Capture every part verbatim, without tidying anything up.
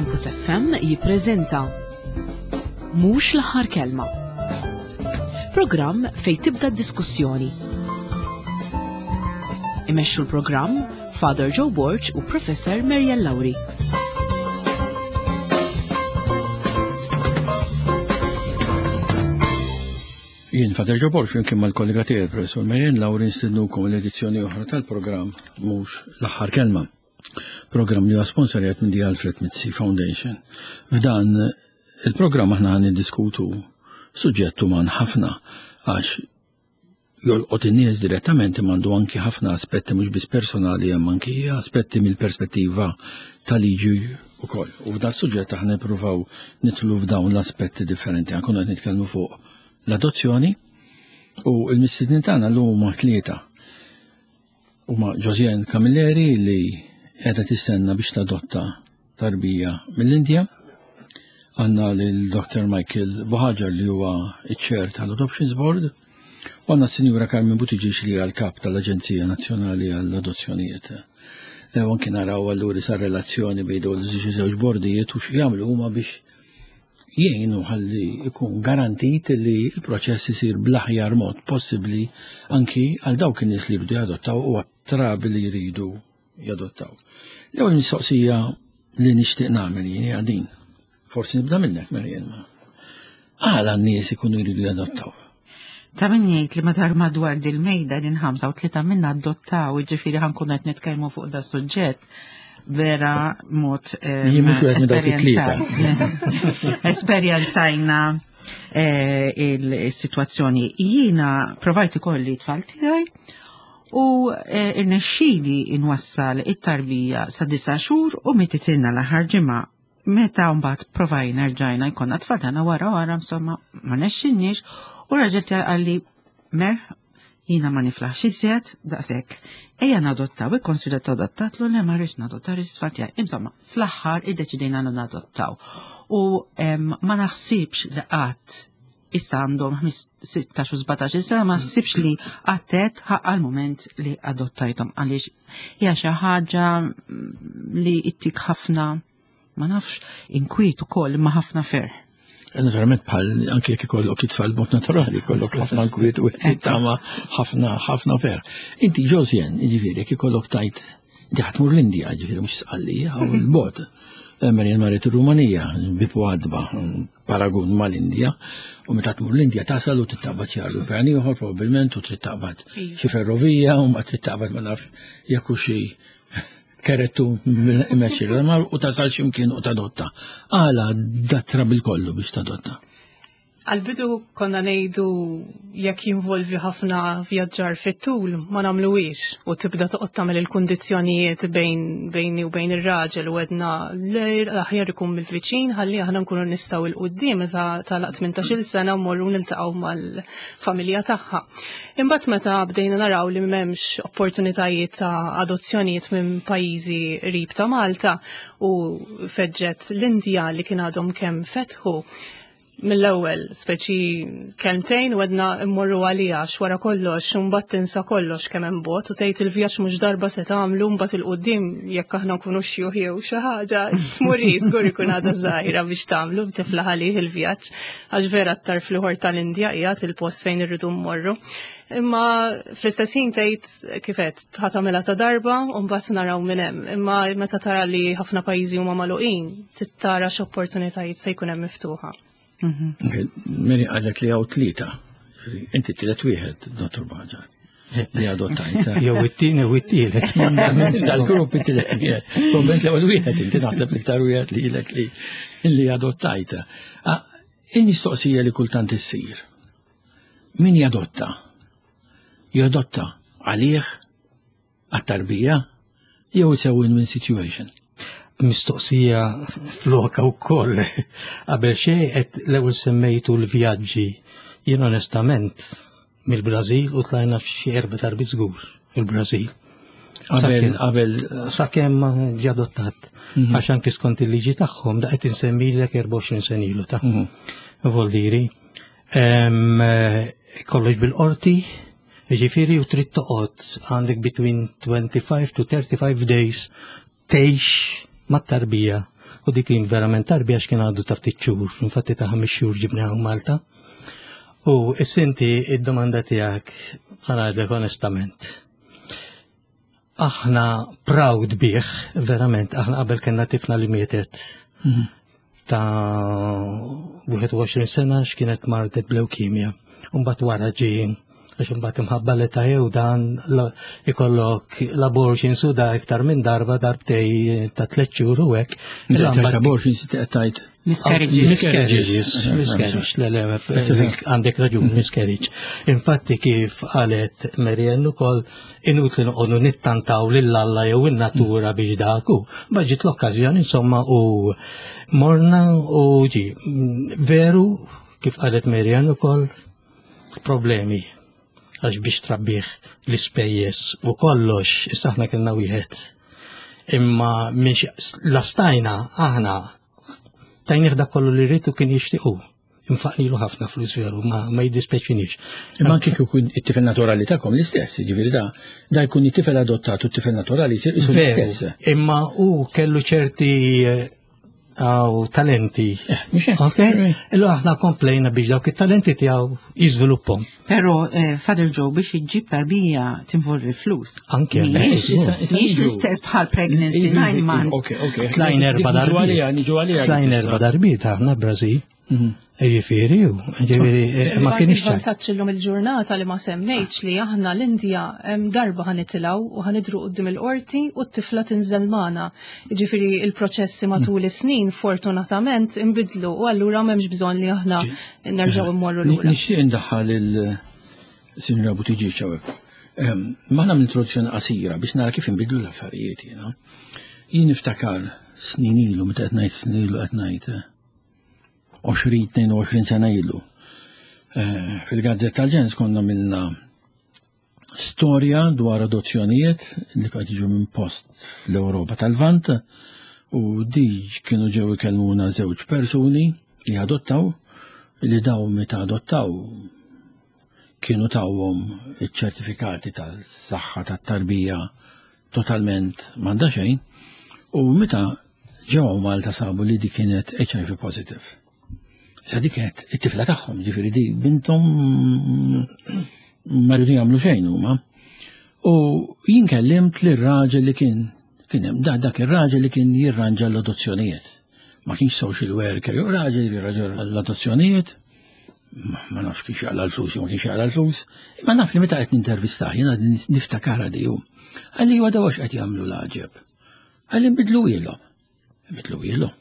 Campus F M jippreżenta Mhux l-aħħar kelma. Programm fej tibda d-diskussjoni. Imexxu l-programm Father Joe Borg u Professor Marian Lauri. Jien Father Joe Borg flimkien mal-kollega tiegħi, Professor Marian Lauri, nistednukom l-edizzjoni oħra tal-programm Mhux l-aħħar kelma. Programm li huwa sponsorjat minn The Alfred Mizzi Foundation. F'dan il-programm aħna ħan niddiskutu suġġett uman ħafna għax jolqot in-nies direttament, imma għandu anki ħafna aspetti mhux biss personali, hemm anki aspetti mill-perspettiva tal-liġi ukoll. U f'dan suġġett aħna nippruvaw nidħlu f'dawn l-aspetti differenti. Ankun qed nitkellmu fuq l-adozzjoni u l-mistednin tagħna llum huma tlieta. Huma Josiane Camilleri, li qiegħda tistenna biex tadotta tarbija mill-Indja. Għandna lil Doctor Michael Buhagiar, li huwa iċ-chair tal-Adoptions Board, u għandna s-Sinjura Carmen Buttigieg, li hija l-kap tal-Aġenzija Nazzjonali għall-Adozzjonijiet. E anki naraw allura sa relazzjoni bejn dawn iż-żewġ bordijiet u x'jagħmlu huma biex jgħinu ħalli jkun garantit li l-proċess isir bl-aħjar mod possibbli anki għal dawk in-nies li jridu jadottaw u għat-trabi li jridu jadottaw. L-ewwel mistoqsija li nixtieq nagħmel jien hija din. Forsi nibda minnek, Marian. Għala n-nies ikunu jridu jadottaw? Ta' min jgħid li madwar madwar dil-mejda din ħamsa u tlieta minna adottaw, ġifieri ħa nkunu qed nitkellmu fuq da suġġett vera mod Jien mhux wieħed minn dawk it-tlieta. Esperjenzajna eh, il-situazzjoni. Jiena provajt ikolli tfal tiegħi u eh, irnexxieli inwassal it-tarbija sa disa' xhur u mititilna l-aħħar ġimgħa. Meta mbagħad provajna rġajna jkollna tfal tagħna wara wara, insomma, ma rnexxilniex u raġel tiegħi qalli, "Mer, jiena ma niflaħx iżjed, daqshekk. Ejja nadottaw." Ikkonsidra adottatlu, "Le, ma rridx nadottaw, rrid tfal tiegħi." Insomma, fl-aħħar iddeċidejna li nadottaw. U em, ma naħsibx li qatt, issa għandhom sittax u sbatax sena, ma naħsibx li għattet ħaqqa l-moment li adottajthom, għaliex hija xi ħaġa mm, li ittik ħafna, ma nafx, inkwiet ukoll, imma ħafna ferħ. Naturalment, bħal anke jekk ikollok it-tfal b'mod naturali, ikollok ħafna nkwiet u tama ħafna ħafna ferħ. Inti Josiane, jiġifieri jekk ikollok tajt, inti ħa tmur l-Indja, jiġifieri mhux Sqallija u l-bot. Marian marret ir-Rumanija, bieb u għatba, paragun mal-Indja, u meta tmur l-Indja tasal u trid taqbad xi ajruplan ieħor probabbilment u trid taqbad xi ferrovija u ma trid taqbad, ma nafx jekk xi kerettu imexxi u tasal x'imkien u tadotta. Għala datra bil-kollu biex tadotta? Għal-bidu konna ngħidu jekk jinvolvi ħafna vjaġġar fit-tul ma nagħmluhiex, u tibda toqgħod tagħmel il-kundizzjonijiet bejn bejni u bejn ir-raġel u għedna l-aħjar ikun mill-viċin ħalli aħna nkunu nistgħu 'l quddiem meta tagħlaq tmintax-il sena mmorru niltaqgħu mal-familja tagħha. Imbagħad meta bdejna naraw li m'hemmx opportunitajiet ta' adozzjonijiet minn pajjiżi qrib ta' Malta u feġġet l-Indja li kien għadhom kemm fetħu, mill-ewwel speċi kelmtejn u għedna immorru għalija wara kollox, mbagħad tinsa kollox kemm hemm bogħod u tgħid il-vjaġġ mhux darba se tagħmlu, mbagħad 'il quddiem jekk aħna nkunu xjuħ jew xi ħaġa tmur żgur ikun għadha żgħira biex tagħmlu b'tifla għalih il-vjaġġ, għax vera t-tarf l-ieħor tal-Indja qiegħed il-post fejn irridu mmorru. Imma fl-istess ħin tgħid kifet ħa tagħmilha ta' darba u mbagħad naraw minn hemm. Imma meta tara li ħafna pajjiżi huma magħluqin, tittara x'opportunitajiet se jkun hemm miftuħa. Mary qalet li hawn tlieta. Inti tielet wieħed, Dottor Buhagiar, li adottajt. Jew it-tieni u it-tielet. Tal-grupp it-tielet wieħed. Komment l-ewwel wieħed, inti naħseb l-iktar wieħed li ilek li li adottajt. Ah, il-mistoqsija li kultant issir. Min jadotta? Jadotta għalih, għat-tarbija, jew it's a win-win situation? Mistoqsija floka u koll. Qabel xejn, qed l-ewwel semmejtu l-vjaġġi. Jien onestament mill-Brażil u tlajna f'xi erba' darbiet żgur il-Brażil. Qabel, qabel. Sakemm ġie adottat. Mhm. Għax anki skont il-liġi tagħhom, da qed insemmilek erbgħa u għoxrin sena ilu ta' Mhm. Voldiri. Em, eh, Kollox bil-qorti, ġifieri u trid toqgħod għandek between twenty-five to thirty-five days tgħix mat-tarbija. U dik kien verament tarbija għax kien għadu ta' ftit xhur, infatti ta' ħames xhur ġibniha Malta. U is-sinti id-domanda tiegħek ħa ngħidlek onestament. Aħna proud bih, verament, aħna qabel kellna tifla li mietet ta' wieħed u għoxrin sena x'kienet mardet b'leukemia. Mbagħad wara ġie għax imbagħad imħabba li ta' jew dan la- ikollok l-abortion su da iktar minn darba, darbtej ta' tliet xhur u hekk. Tajt abortion si tajt. Miscarriages. Miscarriages. Miscarriage, le, le, għandek raġun, miscarriage. Infatti kif qalet Marianne ukoll, inutli noqogħdu nittantaw lil Alla jew in-natura biex daku. Baġit l-okkażjoni insomma u morna u ġi. Veru, kif qalet Marianne ukoll, problemi għax biex trabbih l-ispejjeż u kollox, issa aħna kellna wieħed. Imma minn lastajna aħna tajnieh dak kollu li rritu kien jixtiequ. Infaqnilu ħafna flus veru, ma, ma jiddispeċinix. Imma anke kieku jkun it-tifel naturali tagħkom l-istess, jiġifieri da da jkun it-tifel adottat u t-tifel naturali jsir isu l-istess. Imma u kellu ċerti eh, għaw talenti. Eh, mhux hekk. Ok? Illu aħna komplejna biex dawk it-talenti tiegħu jiżvilupphom. Pero, eh, Father Joe, biex iġġib tarbija tinvolvi flus. Anke. Mhijiex Issa- issa mhijiex niġu. l-istess bħal pregnancy nine months. Ok, ok. Tlajn erba Dik niġu għalija, darbiet. niġu għalija. Tlajn erba darbiet aħna Brazil. Ġifieri, u ġifieri, eh, ma kienx ċar. Il-vantaġġ illum il-ġurnata li ma semmejtx li aħna l-Indja hemm darba ħa nitilgħu u ħa nidhru quddiem il-qorti u t-tifla tinżel magħna. Jiġifieri il-proċessi matul is-snin fortunatament inbidlu u allura m'hemmx bżonn li aħna nerġgħu immorru lura. Nixtieq indaħħal il-Sinjora Buttigieg hawnhekk. Ma nagħmel introduzzjoni qasira biex nara kif inbidlu l-affarijiet jiena. Jien niftakar snin ilu, meta qed ngħid snin ilu qed ngħid eh, għoxrin, tnejn u għoxrin sena ilu. Eh, Fil-Gazzetta tal-Ġens konna għamilna storja dwar adozzjonijiet li qed jiġu minn post fl-Ewropa tal-Lvant u di kienu ġew ikellmuna żewġ persuni li adottaw, li daw meta adottaw kienu tawhom iċ-ċertifikati tal-saħħa tat-tarbija totalment m'għandha xejn u meta ġew Malta sabu li di kienet H I V positive. Sa di kienet it-tifla tagħhom, ġifieri di bintom, ma rridu jagħmlu xejn huma. U jien kellimt lir-raġel li kien kien hemm da dak ir-raġel li kien jirranġa l-adozzjonijiet. Ma kienx social worker, jew raġel jirranġa l-adozzjonijiet, ma ma nafx kiex jaqla l-flus jew ma kienx jaqla l-flus, imma naf li meta qed nintervistah jiena niftakara di hu. Qalli huwa daw qed jagħmlu l-għaġeb. Qalli nbidlu ilhom. Nbidlu ilhom.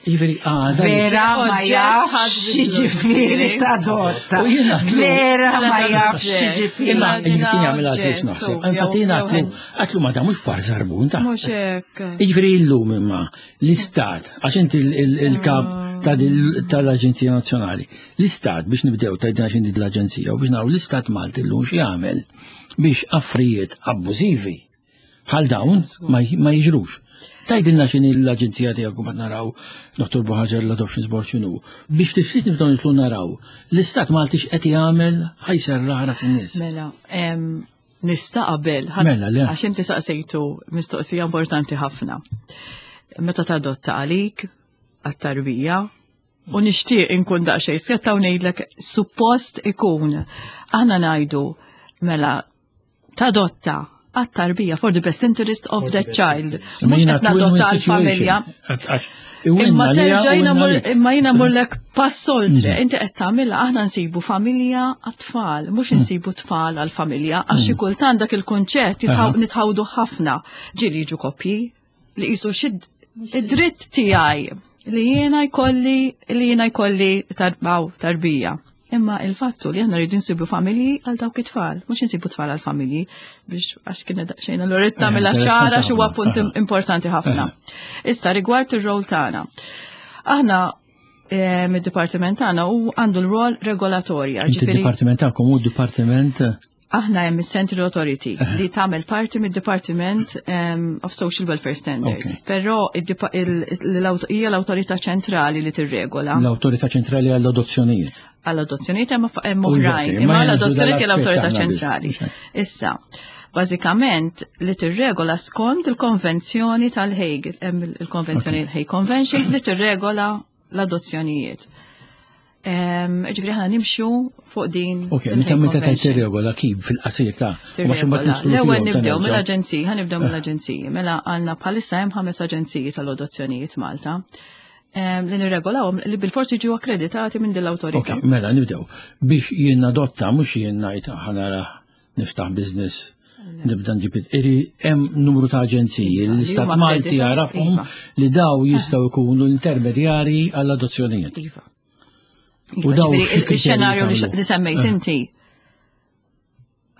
Jiġifieri għada. Vera ma Oġġett jafx ħadd ġifieri tadotta. U jiena għatlu- Vera ma Mela jafx oġġett. ġifieri. Imma Imma kien jagħmel għal-flus naħseb. jew- Infatti jiena jew għatlu għatlu ma da mhux par żarbun ta' Mhux hekk. Jiġifieri illum imma l-istat, għax inti il- il- il-kap ta' dil- tal-Aġenzija Nazzjonali, l-istat biex nibdew ta' din din l-Aġenzija u biex naraw l-istat Malti llum x'jagħmel biex affarijiet abbużivi bħal dawn ma ma jiġrux. Tgħidilna x'inhi l-aġenzija tiegħek u mbagħad naraw Dottor Buhagiar l-Adoptions Board x'inhu. Biex tiftit nibdew nitlu naraw l-istat Malti x'qed jagħmel ħa jserraħ ras in-nies. Mela, em, nista' qabel, ħa- Mela, le. għax inti saqsejtu mistoqsija importanti ħafna. Meta tadotta għalik, għat-tarbija, u nixtieq inkun daqsxejn sketta u ngħidlek suppost ikun. Aħna ngħidu mela tadotta għat-tarbija for the best interest of the child. Mhux qed nadotta għall-familja. Imma terġa' jiena mur- imma jiena murlek pass oltre, inti qed tagħmilha, aħna nsibu familja għat-tfal, mhux insibu tfal għall-familja, għax xi kultant dak il-kunċett jitħaw- nitħawdu ħafna. Ġieli jiġu koppji li qisu xi id-dritt tiegħi li jiena jkolli li jiena jkolli tarbaw tarbija. Imma il-fattu li aħna rridu nsibu familji għal dawk it-tfal, mhux insibu tfal għal familji biex għax kien daqsxejn allura rrid nagħmilha ċara x'huwa punt importanti ħafna. Issa rigward ir-rol tagħna. Aħna eh, mid-dipartiment tagħna u għandu l-rol regolatorja. Inti ġifieri d-dipartiment tagħkom hu d-dipartiment aħna hemm is-Central Authority li tagħmel parti mid-Department um, of Social Welfare Standards. Ok. Però id-dipa- il- l-awt- hija l-awtorità ċentrali li tirregola. L-Awtorità Ċentrali għall-adozzjonijiet. Għall-adozzjonijiet hemm hemm U oħrajn, ok, imma ma l-adozzjonijiet hija jieħdu l-awtorità dal-aspett aħna biss, ċentrali. mhux hekk. Issa, Bażikament li tirregola skont il-konvenzjoni tal-Hague, hemm il-konvenzjoni okay. Hague Convention li tirregola l-adozzjonijiet. Ġifieri aħna nimxu fuq din. Ok, meta meta tajt tirregola kif fil-qasir ta' L-ewwel nibdew mill-aġenziji, ħa nibdew mill-aġenziji. Mela għandna bħalissa hemm ħames aġenziji tal-adozzjonijiet Malta li nirregolawhom li bil-forsi ġew akkreditati minn din l-awtorità. Ok, mela nibdew. Biex jien adotta mhux jien ngħid ħa nara niftaħ business nibda nġib iri hemm numru ta' aġenziji li l-Istat Malti jarafhom li daw jistgħu jkunu l-intermedjari għall-adozzjonijiet. Iva. U daw il-xenarju li semmejt inti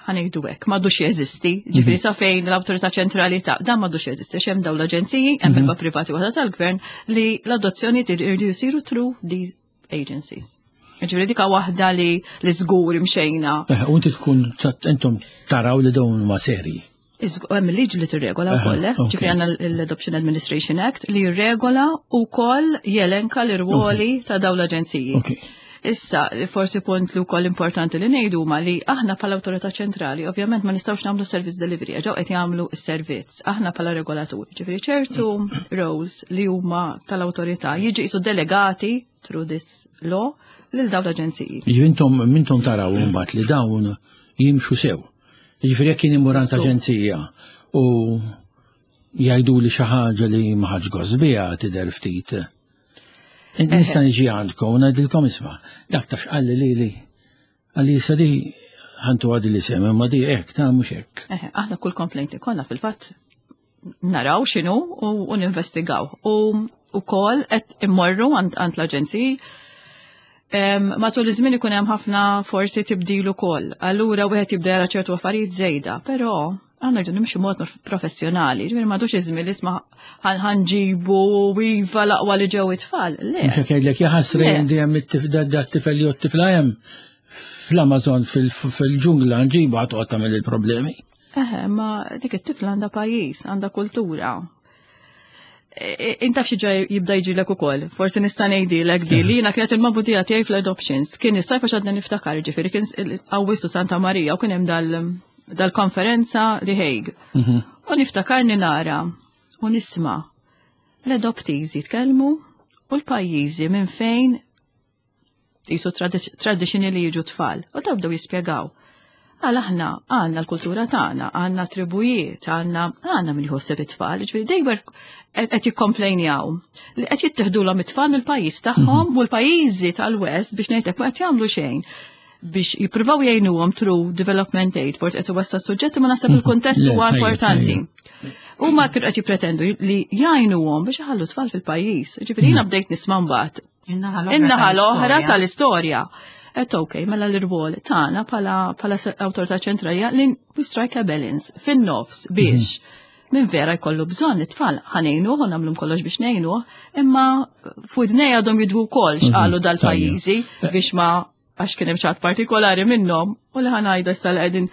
ħa ngħidu hekk, m'għadux jeżisti, ġifieri sa fejn l-awtorità ċentrali ta' dan m'għadux jeżisti, hemm dawn l-aġenziji, hemm erba' privati waħda tal-gvern li l-adozzjoni iridu jsiru through these agencies. Ġifieri dika waħda li li żgur imxejna. U inti tkun intom taraw li dawn ma seri. Hemm il-liġi li tirregola wkoll, eh? Ġifieri għandna l-Adoption Administration Act li jirregola wkoll jelenka l-irwoli ta' dawn l-aġenziji. Issa, forsi punt li wkoll importanti li ngħidu ma li aħna bħala awtorità ċentrali, ovvjament ma nistgħux nagħmlu service delivery, ġew qed jagħmlu s-servizz, aħna bħala regolatur. Ġifieri ċertu roles li huma tal-awtorità jiġi jisu delegati through this law lil dawn l-aġenziji. Ġifieri intom mintom taraw mbagħad li dawn jimxu sew. Ġifieri jekk kien imur għand aġenzija u jgħidu li xi ħaġa li ma ħadx gost biha tidher ftit. Nista' niġi għandkom u ngħidilkom isma' dak taf x'qalli li li għalli issa di ħantu għadi li sem, imma di hekk ta' mhux hekk. Eħe, aħna kull complaint ikollna fil-fatt naraw x'inhu u, u ninvestigaw. U ukoll qed immorru għand għand l-aġenziji. Em, Matul iż-żmien ikun hemm ħafna forsi tibdil ukoll. Allura wieħed jibda jara ċertu affarijiet żejda, però għandna rridu nimxu mod professjonali, ġifieri m'għadux iż-żmien li isma' ħa nġibu iva l-aqwa li ġew it-tfal. Le. Mhux hekk jgħidlek jaħasra Le. għandi hemm it-tifel jew t-tifla hemm fl-Amazon fil-ġungla nġibu ħa toqgħod tagħmel il-problemi. Eħe, ma dik it-tifla għandha pajjiż, għandha kultura. E- Inta xi ġaj jibda jiġilek ukoll. Forsi nista' ngħidilek di li jiena kienet il-magħmudija tiegħi fl-adoptions. Kien is-sajf għax għadna niftakar, ġifieri kien Awwissu Santa Marija u kien hemm dal dal-konferenza The Hague. U niftakarni nara u nisma' l-adoptees jitkellmu u l-pajjiżi minn fejn jisu traditioni li jiġu tfal. U daw bdew jispjegaw. Għal aħna għandna l-kultura tagħna, għandna tribujiet, għandna għandna min jħosseb it-tfal, ġifieri dejjem qed jikkomplejnjaw li qed jittieħdulhom it-tfal mill-pajjiż tagħhom u l-pajjiżi tal-West biex ngħidlek ma qed jagħmlu xejn biex jippruvaw jgħinuhom through development aid, forsi qed iwassa suġġetti ma naħseb il-kuntest Le, huwa tajjeb, importanti. Huma kienu qed jippretendu li jgħinuhom biex iħallu tfal fil-pajjiż. Ġifieri jiena bdejt nisma' mbagħad In-naħa l-oħra In-naħa l-oħra tal-istorja. tal-istorja. Et ok, mela l-irwol tagħna bħala bħala awtorità ċentrali li we strike a balance fin-nofs biex minn vera jkollu bżonn it-tfal ħa ngħinuh u nagħmlu kollox biex ngħinuh, imma f'widnej għadhom jidwu wkoll x'qalu dal-pajjiżi biex ma għax kien hemm xi ħadd partikolari minnhom u li ħa ngħidha issa li qegħdin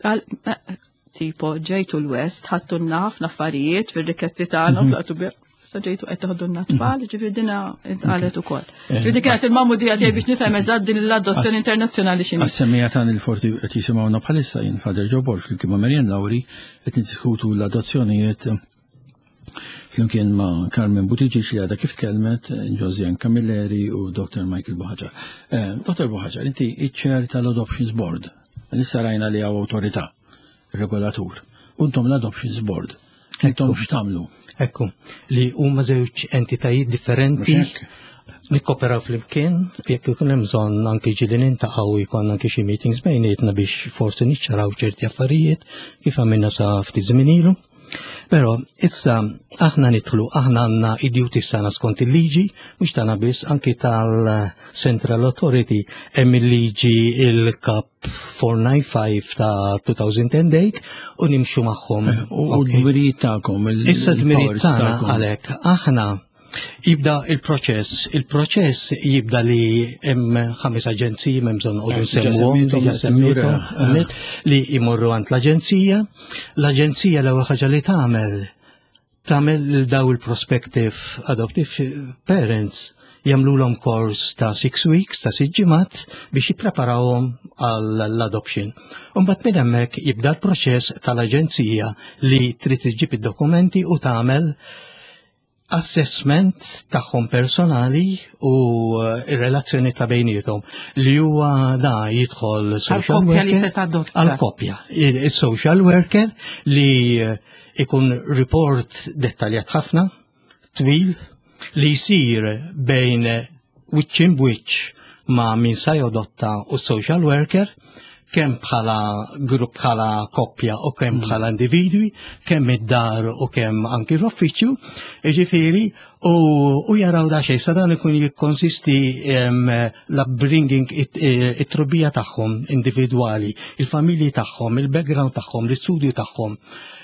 għal- eh, tipo ġejtu l-West, ħadtulna ħafna affarijiet fir-rikkezzi tagħna u tlaqtu bi sa ġejtu qed teħdulna tfal, ġifieri dina intqalet ukoll. Ġifieri kienet il-magħmudija tiegħi biex nifhem eżatt din l-adozzjoni internazzjonali x'inhi. Għas-semmiegħa tagħna li forsi qed jisimgħuna bħalissa jien Father Joe Borg flimkien ma' Marian Lauri qed niddiskutu l-adozzjonijiet flimkien ma' Carmen Buttigieg li għadha kif tkellmet, Josianne Camilleri u Dr. Michael Buhagiar. Eh, Dr. Buhagiar, inti iċ-chair tal-Adoptions Board. Issa rajna li hawn awtorità, regolatur. Untom l-Adoptions Board. Intom x'tagħmlu? Ekku, li huma żewġ entitajiet differenti Mhux hekk? nikkoperaw flimkien, jekk ikun hemm bżonn anki ġieli niltaqgħu jkun anki xi meetings bejnietna biex forsi niċċaraw ċerti affarijiet kif għamilna sa ftit żmien ilu. Però issa aħna nidħlu, aħna għandna id-duties tagħna skont il-liġi, mhux tagħna biss anki tal-Central Authority hemm il-liġi il-Kap four nine five ta' two thousand eight u nimxu magħhom. U Ok. d-dmirijiet tagħkom, il- Issa d-dmirijiet il-powers tagħna tagħkom. għalhekk aħna jibda il-proċess. Il-proċess jibda li hemm ħames aġenziji m'hemm bżonn noqogħdu Eh, diġà nsemmuhom, semmejthom, diġà semmejthom, eh. għamilt, li jmorru għand l-aġenzija. L-aġenzija l-ewwel ħaġa li tagħmel tagħmel lil daw il-prospective adoptive parents Jagħmlulhom kors ta' six weeks, ta' sitt ġimgħat biex jippreparawhom għall-adoption. Imbagħad minn hemmhekk jibda l-proċess tal-aġenzija li trid iġġib id-dokumenti u tagħmel assessment tagħhom personali u eh, ir-relazzjoni ta' bejniethom li huwa da jidħol social Għal-koppja li worker se tadotta. għal-koppja. Il-social worker li eh, ikun report dettaljat ħafna, twil, li jisir bejn wiċċ in wiċċ ma' min sa jadotta u social worker, kemm bħala grupp bħala koppja u kemm bħala individwi, kemm id-dar u kemm anki l-uffiċċju, jiġifieri, u, u jaraw da xejn, sa dan ikun jikkonsisti em, l-upbringing, it- eh, it-trobbija tagħhom individwali, il-familji tagħhom, il-background tagħhom, l-istudju tagħhom.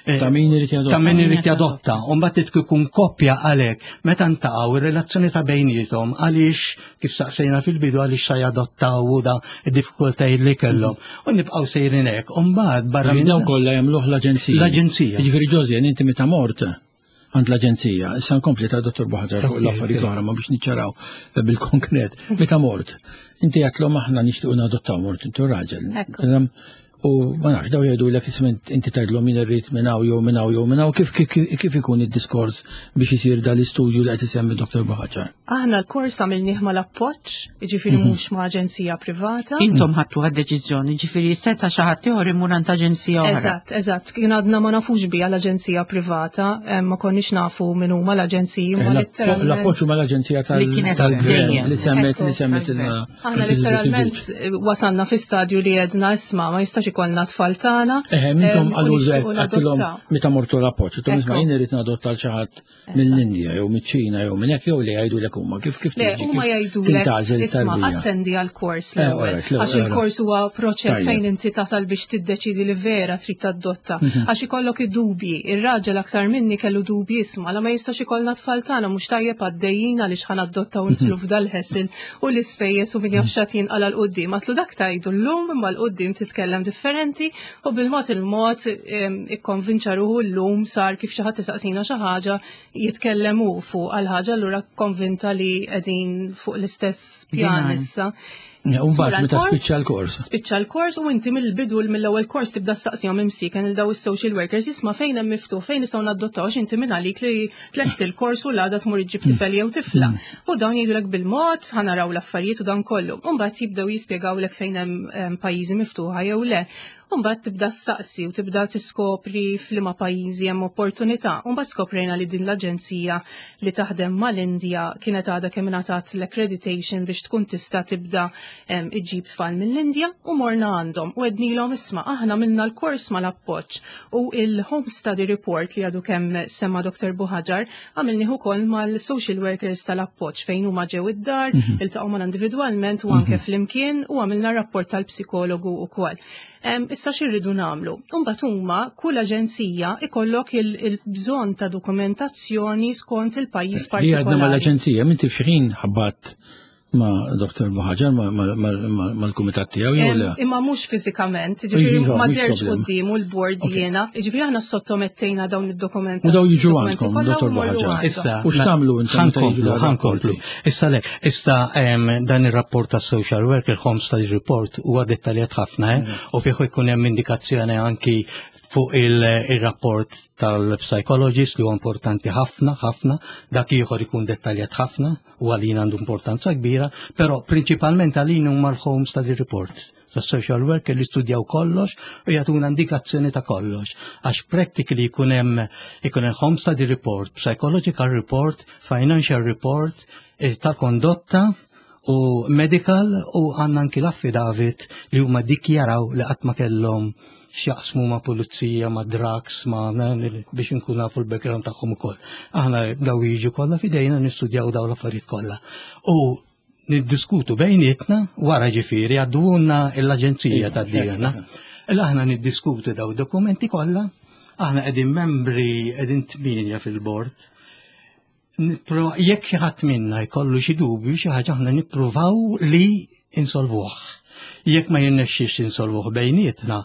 Eh, Ta' min irid jadotta. Ta' min irid jadotta. U mbagħad ikun koppja għalhekk meta ntaqgħu ir-relazzjoni ta' bejniethom għaliex kif saqsejna fil-bidu għaliex sa jadottaw u da id-diffikultajiet li kellhom. U nibqgħu sejrin hekk. U mbagħad barra Minn minn dawn kollha jagħmluh l-aġenzija. L-aġenzija. Jiġifieri Josian, inti meta mort għand l-aġenzija, issa nkompli ta' Dottor Buhagiar fuq Ok, l-affarijiet ok. l-oħra ma biex niċċaraw bil-konkret. Meta mort, inti għedtlhom aħna nixtiequ nadottaw mort intu raġel. Ekku. Em, U ma nafx daw jgħidu lek isma' inti tgħidlhom min irrid minn hawn jew minn hawn jew minn hawn kif kif kif ikun id-diskors biex isir dal-istudju li qed isemmi Dottor Buhagiar. Aħna l-kors għamilnieh mal-Appoġġ, jiġifieri mhux ma' aġenzija privata. Intom ħadtu għad-deċiżjoni, ġifieri seta' xi ħadd ieħor imur għand aġenzija oħra. Eżatt, eżatt. Kien għadna ma nafux bija l-aġenzija privata, eh, ma konniex nafu min huma l-aġenziji, ma letteralment. L-Appoġġ ma l-aġenzija tal- Li kienet tal-gvern dejjem. li semmet Ekku, li semmet tal-gvern. il- Aħna letteralment eh, wasalna fi stadju li għedna isma' ma jistax ikollna tfal tagħna. Eħe, mintom eh, u għallu nixtiequ għedtilhom nadottaw. meta mortu l-Appoġġ, għedtilhom isma' Ekku. jien irrid nadotta l xi ħadd mill-Indja jew miċ-Ċina jew minn hekk jew li jgħidu lek huma kif kif Le, tiġi, huma kif jgħidulek tintgħażel isma' tarbija. attendi għal-kors Eh, l-ewwel. alright, l-ewwel, Għax il-kors huwa proċess Tajjeb. fejn inti tasal biex tiddeċidi li vera trid tadotta. Mhm. Għax ikollok id-dubji, ir-raġel aktar minni kellu dubji isma' la ma jistax ikollna tfal tagħna mhux tajjeb għaddejjin għaliex ħa nadotta u nidħlu f'dal-hassle u l-ispejjeż u min jaf x'għad jinqala 'l quddiem. Għedtlu dak tgħidu llum imma 'l quddiem titkellem differenti u bil-mod il-mod em, ikkonvinċa ruħu llum sar kif xi ħadd isaqsina xi ħaġa jitkellem hu fuq għal ħaġa allura konvinta li qegħdin fuq l-istess pjan Binarju. issa. Ja, u mbagħad Tmur meta għall-kors, spiċċa l-kors. Spiċċa l-kors u inti mill-bidu mill-ewwel kors tibda staqsihom imsiken il daw is-social workers isma' fejn hemm miftuħ fejn nistgħu nadottaw għax inti minn għalik li tlest il-kors u l-għada tmur iġġib tifel jew tifla. U dawn jgħidulek bil-mod ħa naraw l-affarijiet u dan kollu. U mbagħad jibdew jispjegawlek fejn hemm em, pajjiżi miftuħa jew le. U mbagħad tibda ssaqsi u tibda tiskopri f'liema pajjiżi hemm opportunità. U mbagħad skoprejna li din l-aġenzija li taħdem mal-Indja kienet għadha kemm ingħatat l-accreditation biex tkun tista' tibda em, iġġib tfal mill-Indja u morna għandhom u għednilhom isma' aħna minna l-kors mal-Appoġġ u il-home study report li għadu kemm semma Dottor Buhagiar għamilnieh ukoll mal-social workers tal-Appoġġ fejn huma ġew id-dar, iltaqgħu mal individwalment u anke flimkien u għamilna rapport tal-psikologu ukoll. Em, Issa x'irridu nagħmlu? Imbagħad huma kull aġenzija ikollok il- il-bżonn ta' dokumentazzjoni skont il-pajjiż Li għadna partikolari. mal-aġenzija, minti f'xi ħabbat ma' Dottor Buhagiar mal-kumitat tiegħu jew le? Em, Imma mhux fiżikament, ġifieri Iva, ma mhux derx problema. quddiem u l-board jiena, ġifieri aħna sottomettejna dawn id-dokumenti. U daw jiġu dokumenti għandkom, kollha u Dottor morru Buhagiar. għandhom. Issa, U x'tagħmlu intom meta jiġu ħa nkomplu, dawn ħa nkomplu. Issa le, issa em, dan ir-rapport tas social worker home study report huwa dettaljat ħafna, eh? U fih jkun hemm indikazzjoni anki fuq il- il-rapport tal-psychologist li huwa importanti ħafna, ħafna, dak ieħor ikun dettaljat ħafna u għalina għandu importanza kbira, però prinċipalment għalina huma l-home study report tas social worker li studjaw kollox u jagħtuna indikazzjoni ta' kollox. Għax practically jkun hemm ikun hemm home study report, psychological report, financial report, eh, tal-kondotta u medical u għandna anki l-affidavit li huma dikjaraw li qatt ma kellhom x'jaqsmu ma' pulizija, ma' drugs, ma' biex nkun nafu l-background tagħhom ukoll. Aħna daw jiġu kollha fidejna nistudjaw daw l-affarijiet kollha. U niddiskutu bejnietna wara ġifieri għadduna l-aġenzija ta' dijana. Illa aħna niddiskutu daw dokumenti kollha, aħna qegħdin membri qegħdin tmienja fil-bord. Nipro- Jekk xi ħadd minna jkollu xi dubju xi ħaġa aħna nippruvaw li insolvuh. Jekk ma jirnexxix insolvuh bejnietna,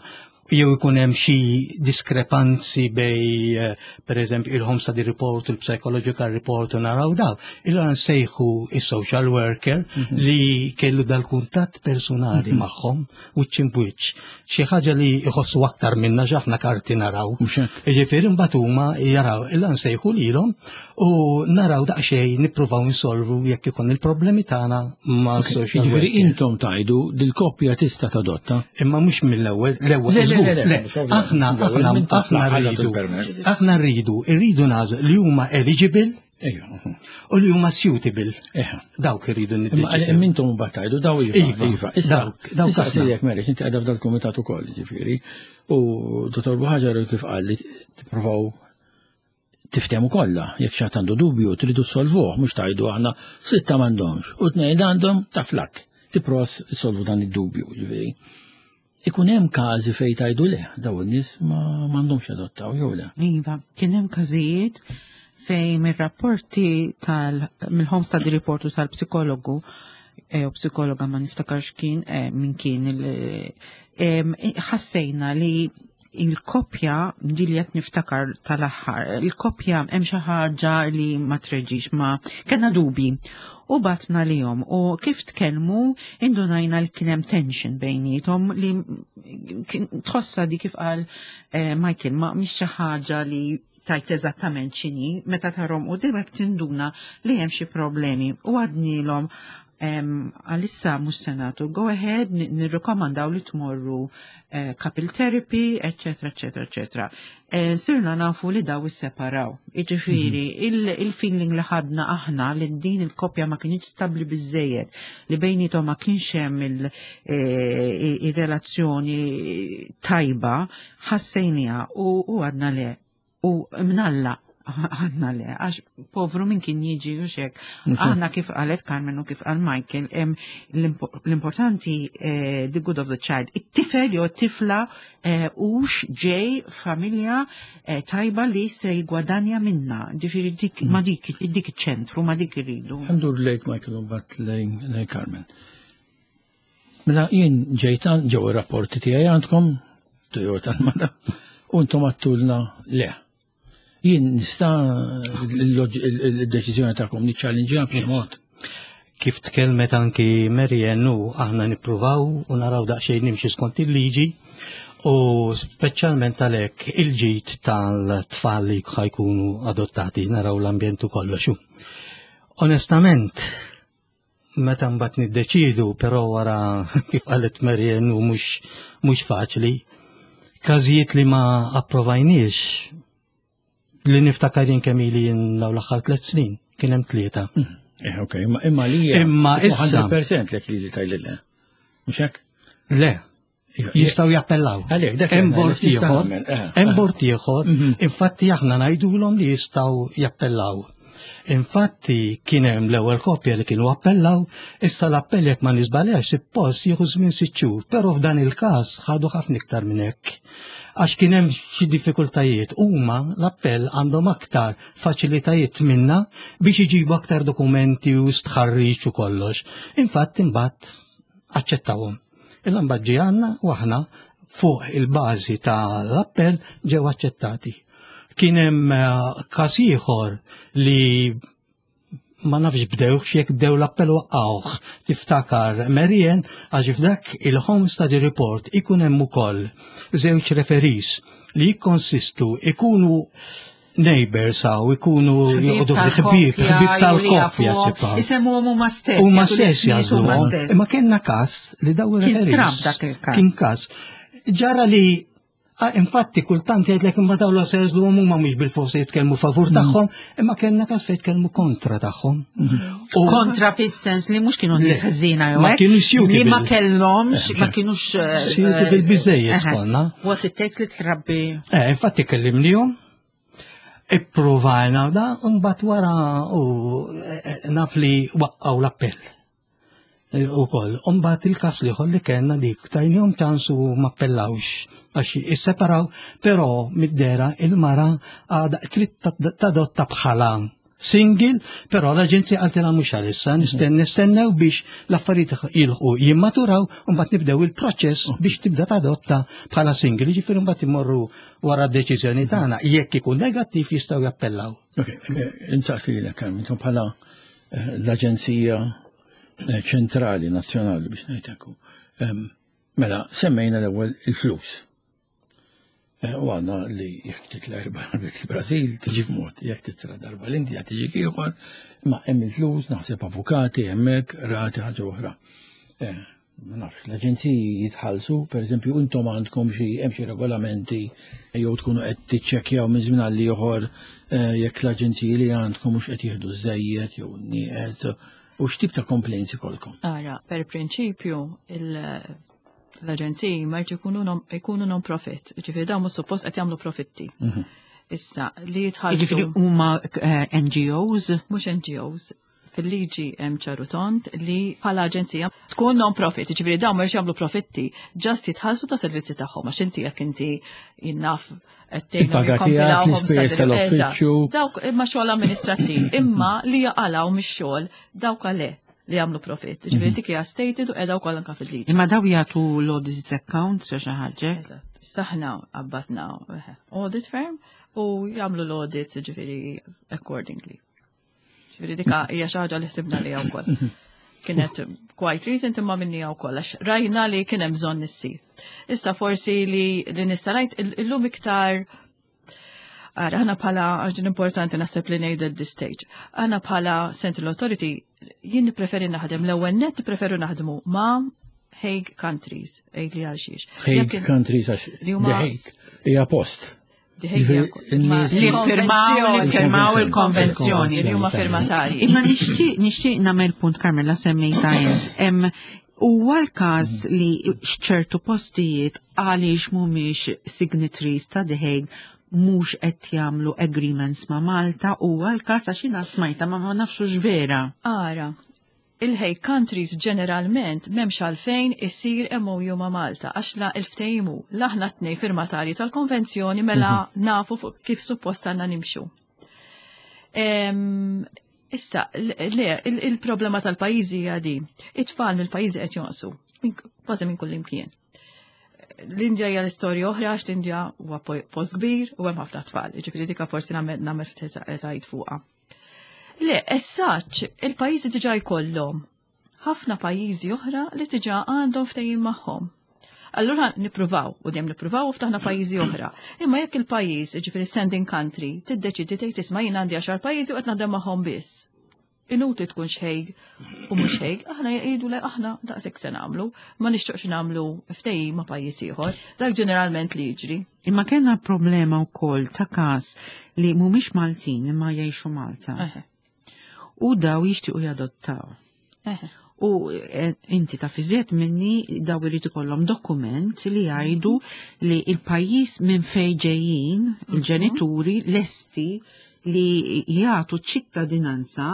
Jew ikun hemm xi diskrepanzi bej, eh, per eżempju, il-home study report, il-psychological report u naraw daw. Illa nsejħu il-social worker mhm. li kellu dal-kuntatt personali mhm. magħhom wiċċ imb'wiċċ. Xi ħaġa li jħossu aktar minna aħna karti naraw. Ġifieri mbagħad huma jaraw, illa nsejħu lilhom u naraw daqsxejn nippruvaw insolvu jekk ikun il-problemi tagħna ma' social worker. Ġifieri intom tajdu dil-koppja tista' tadotta. Imma mhux mill-ewwel, l-ewwel Aħna, aħna, aħna rridu, aħna rridu, rridu nagħżlu li huma eligible u li huma suitable. Dawk irridu niddeċidu. Imma intom mbagħad tgħidu daw iva. Iva, iva. Issa, dawk saqsijek Mary, inti qiegħda f'dal-kumitat ukoll, ġifieri. U Dottor Buhaġar kif qal li tippruvaw tiftehmu kollha, jekk xi għandu dubju tridu solvuh, mhux tgħidu aħna sitta m'għandhomx u tnejn għandhom ta' flak. Tipprova solvu dan id-dubju, ġifieri. Ikun hemm każi fejn tgħidu le, daw in-nies ma m'għandhomx adottaw jew le. Iva, kien hemm każijiet fejn mir-rapporti tal mill-home study report u tal-psikologu eh, u psikologa ma niftakarx kien eh, min kien ħassejna li il-koppja di li qed niftakar tal-aħħar, il-koppja hemm xi ħaġa li ma treġix ma kellna dubi u batna lihom u kif tkellmu indunajna li kien hemm tension bejniethom li tħossa di kif qal eh, Michael ma mhix xi ħaġa li tajt eżattament x'inhi, meta tarhom u direkt tinduna li hemm xi problemi u għednielhom għalissa mhux se nagħtu go ahead, nirrikomandaw li tmorru eh, couple therapy, eccetera, eccetera, eccetera. Eh, sirna nafu li daw isseparaw. Iġifieri, mhm. il-feeling li ħadna aħna li din il-koppja ma kienx stabli biżejjed, li bejnietom ma kienx hemm eh, il-relazzjoni tajba, ħassejnija u għedna le. U mnalla għedna le, għax povru min kien jiġi u xek. Mhm. Aħna kif qalet Carmen u kif qal Michael, l-importanti eh, the good of the child. It-tifel jew tifla eh, ux ġej familja eh, tajba li se jgwadanja minna. Ġifieri dik ma dik dik iċ-ċentru, ma dik irridu. Ħa ndur lejk Michael u mbagħad lejn Carmen. Mela jien ġejtan ġew ir-rapporti tiegħi għandkom, jew tal-mara, u intom għedtulna le. Jien nista' il-deċiżjoni tagħkom niċċallinġja b'xi mod. Kif tkellmet anki Marianne u aħna nippruvaw u naraw daqsxejn nimxi skont il-liġi u speċjalment għalhekk il-ġid tal-tfal li ħa jkunu adottati naraw l-ambjent u kollox. Onestament, meta mbagħad niddeċidu, però wara kif qalet Marianne u mhux mhux faċli, każijiet li ma approvajniex li niftakar jien kemm ili jien dawn l-aħħar tliet snin, kien hemm tlieta. Eh, ok, imma imma li Imma issa- mija fil-mija lek li li tajli le. Mhux hekk? Le, jistgħu jappellaw. Għalhekk, dak Hemm bord tista' ieħor, nagħmel, eh, hemm eh. bord ieħor, Mhm. infatti aħna ngħidulhom li jistgħu jappellaw. Infatti kien hemm l-ewwel koppja li kienu appellaw, issa l-appell jekk ma niżbaljax suppost jieħu żmien sitt xhur, però f'dan il-każ ħadu ħafna iktar minn hekk. Għax kien hemm xi diffikultajiet, huma l-appell għandhom aktar faċilitajiet minna biex iġibu aktar dokumenti u stħarriġ u kollox. Infatti imbagħad aċċettawhom. Illa mbagħad ġie għandna u aħna fuq il-bażi tal-appell ġew aċċettati. Kien hemm eh, każ ieħor li ma nafx bdewx jekk bdew l-appell waqqawh. Tiftakar Marianne għax f'dak il-Home Study Report ikun hemm ukoll żewġ referees li jikkonsistu ikunu neighbors aw ikunu joqogħdu ħbieb, ħbieb tal-koppja sipa. Isemmuhom huma stess. Huma jagħtu stess l-ismijiet huma jażluhom. stess. Imma kellna każ li daw Kien ir-referees. stramb dak il-każ. Kien każ. Ġara li Ah, infatti kultant jgħidlek imma dawn la se jażluhom huma mhux bil-forsi jitkellmu favur tagħhom, imma kellna każ fejn jitkellmu kontra tagħhom. U- Kontra fis-sens li mhux kienu nies Le, ħżiena jew ma hekk, kienux li ma suitable. kellhomx, ma kienux eh, Suitable eh, biżejjed eh, skonna. What it takes li trabbi. Eh, infatti kellimnihom, ipprovajna da, mbagħad wara u eh, naf li waqqgħu l-appell. Eh, U koll, mbagħad il-kas liħor li kellna dik, tajnihom ċans u ma appellawx, għax isseparaw, però mid-dera il-mara għada trid tadotta bħala single, però l-aġenzija qaltilha mhux għalissa, nisten nistennew biex l-affarijiet jilħqu jimmaturaw u mbagħad nibdew il-proċess biex tibda tadotta bħala single, jiġifieri mbagħad imorru wara d-deċiżjoni tagħna. Jekk ikun negattiv jistgħu jappellaw. Ok, eh, insaqsi lilek Carmen, intom bħala eh, l-Aġenzija eh, Ċentrali Nazzjonali biex ngħid hekk. Ehm, Mela, semmejna l-ewwel il-flus. Eh, U għandna li jekk titla' erba' darbiet il-Brażil tiġik mod, jekk titla' darba l-Indja tiġik ieħor, ma hemm il-flus, naħseb avukati hemmhekk, rati ħaġa oħra. Eh, Ma nafx, l-aġenziji jitħallsu, per eżempju, intom għandkom xi hemm xi regolamenti jew tkunu qed tiċċekkjaw minn żmien għal ieħor eh, jekk l-aġenziji li għandkom mhux qed jieħdu żejjed jew nieqes u x'tip ta' complaints ikolkom. Ara, per prinċipju, il- l-aġenziji ma jkunu non- ikunu non-profit, ġifieri dawn mhux suppost qed jagħmlu profitti. Issa, li jitħallsu Jiġifieri huma eh, N G Os? Mhux N G Os, fil-liġi hemm ċar u tond li bħala aġenzija tkun non-profit, ġifieri dawn mhux jagħmlu profitti, just jitħallsu ta' servizzi tagħhom, għax inti jekk inti jinnaf qed tgħinhom Il-paga tiegħek, jikkompilawhom l-ispejjeż sa- tal-uffiċċju. Eżatt. Dawk imma xogħol amministrattiv, imma li jaqalgħu mix-xogħol dawk għale li jagħmlu profitt. Ġifieri dik hija stated u qiegħda wkoll anke fil-liġi. Imma daw jagħtu l-audit accounts jew xi ħaġa? Eżatt. Saħna abbatna eh, audit firm u jagħmlu l-audits ġifieri accordingly. Ġifieri dika hija xi ħaġa li ħsibna li wkoll. Kienet quite recent imma minni wkoll għax rajna li kien hemm bżonn issir. Issa forsi li li nista' ngħid il- illum iktar. Ara, aħna bħala, għax din importanti naħseb li ngħid at this stage, aħna bħala Central Authority, jien nippreferi naħdem, l-ewwel net nippreferu naħdmu ma' Hague countries, għid li għal xiex. Hague Jekk in- countries għax li huma- The Hague hija post. The Hague Ġifieri, hija- ma- in-nies- Li firmaw, li firmaw il-konvenzjoni. Li huma firmatarji. Imma nixtieq nixtieq nagħmel punt, Carmela, semmejta int. Em, Huwa l-każ li x'ċertu postijiet għaliex mhumiex signatories ta' The Hague mhux qed jagħmlu agreements ma' Malta? Huwa l-każ, għax jiena smajta ma ma nafxux vera? Ara, il-Hague countries ġeneralment m'hemmx għalfejn isir M O U ma' Malta, għax la il-ftehim aħna tnej firmatari tal-konvenzjoni mela nafu fuq kif suppost għandna nimxu. Em, Issa, le, il- il-problema tal-pajjiżi hija di. It-tfal mill-pajjiżi qed jonqsu, minn- kważi minn kull imkien. L-Indja hija l-istorja oħra għax l-Indja huwa po- post kbir u hemm ħafna tfal, jiġifieri dika forsi nagħmel nagħmel ftit eżajt fuqha. Le, as such, il-pajjiżi diġà jkollhom ħafna pajjiżi oħra li diġà għandhom ftehim magħhom. Allura nippruvaw, u dejjem nippruvaw u ftaħna pajjiżi oħra. Imma jekk il-pajjiż, ġifieri sending country, tiddeċidi tgħid, "Isma', jien għandi għaxar pajjiżi u qed naħdem magħhom biss." Inutli tkun xejg u mhux xejg, aħna jgħidu le, aħna daqshekk se nagħmlu, ma nixtieqx nagħmlu ftehim ma' pajjiż ieħor. Dak ġeneralment li jiġri. Imma kellna problema wkoll ta' każ li mhumiex Maltin imma jgħixu Malta. Eħe, U daw jixtiequ jadottaw. eħe. U eh, inti ta' fiżiet minni daw irid ikollhom dokument li jgħidu li il-pajjiż minn fejn ġejjin il-ġenituri lesti li jagħtu ċittadinanza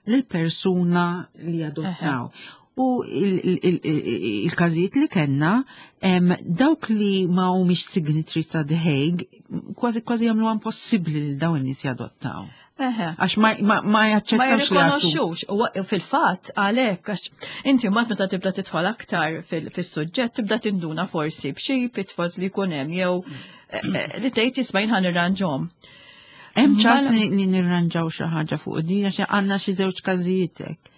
lil persuna li jadottaw. U il- il- il- il- il-każijiet li kellna, em, dawk li ma humiex signatories ta' The Hague kważi kważi jagħmlu impossibbli li dawn in-nies jadottaw. Eħe. Għax ma, ma, ma Ma jaċċettawx li jagħtu. jirrikonoxxux. U fil-fatt għalhekk għax inti mbagħad meta tibda tidħol aktar fil- fis-suġġett tibda tinduna forsi b'xi pitfalls li jkun hemm jew eh, eh, li tgħid, "Isma', jien ħa nirranġhom." Hemm ċans Mela- li li nirranġaw xi ħaġa fuq di għax għandna xi żewġ każijiet hekk?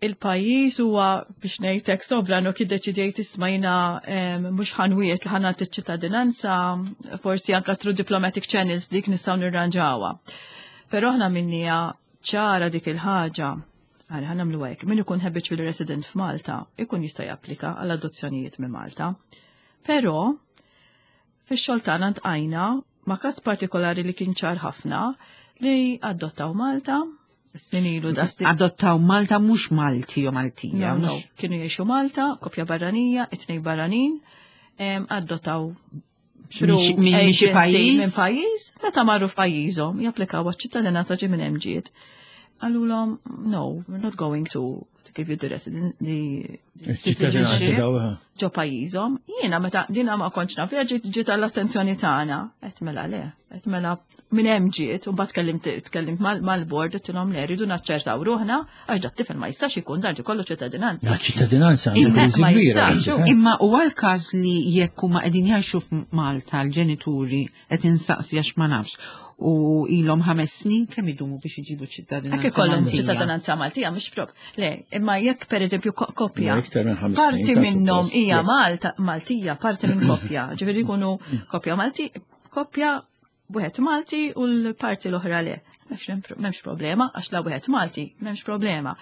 Il-pajjiż huwa biex ngħidlek sovran u kif deċidejt, "Isma', jiena em, mhux ħa nwiegħed li ħa nagħti ċittadinanza", forsi anka through diplomatic channels dik nistgħu nirranġawha. Però aħna minnija ċara dik il-ħaġa. Għal ħa nagħmlu hekk, min ikun habitual resident f'Malta ikun jista' japplika għal adozzjonijiet minn Malta. Però fix-xogħol tagħna ntqajna ma' każ partikolari li kien ċar ħafna li adottaw Malta snin ilu da sti- Adottaw Malta, mhux Malti jew Maltija. No, no, mhux- kienu jgħixu Malta, kopja barranija, it-tnejn barranin, em, adottaw Minn xi- minn xi agency pajjiż? minn pajjiż, meta marru f'pajjiżhom japplikaw għaċ-ċittadinanza ġi minn hemm ġiet. Qalulhom, "No, we're not going to, to give you the resident, the Ċittadinanza citizenship daw. ġo pajjiżhom." Jiena meta dina ma kontx naf, ġiet ġiet għall-attenzjoni tagħna. Qed mela le, qed mela Minn hemm ġiet, u mbagħad tkellimt tkellimt mal-bord għedtilhom le rridu naċċertaw ruħna għax dat tifel ma jistax ikun dan ikollu ċittadinanza. Da ċittadinanza għandha kbira. Imma huwa l-każ li jekk huma qegħdin jgħixu f'Malta l-ġenituri qed insaqsi għax ma nafx u ilhom ħames snin kemm idumu biex iġibu ċittadinanza. Hekk ikollhom ċittadinanza Maltija mhux prob. Le, imma jekk pereżempju koppja. Parti minnhom hija Malta Maltija, parti minn koppja, ġifieri jkunu koppja Malti, koppja wieħed Malti u l-parti l-oħra le. M'hemmx problema, għax la wieħed Malti, m'hemmx problema.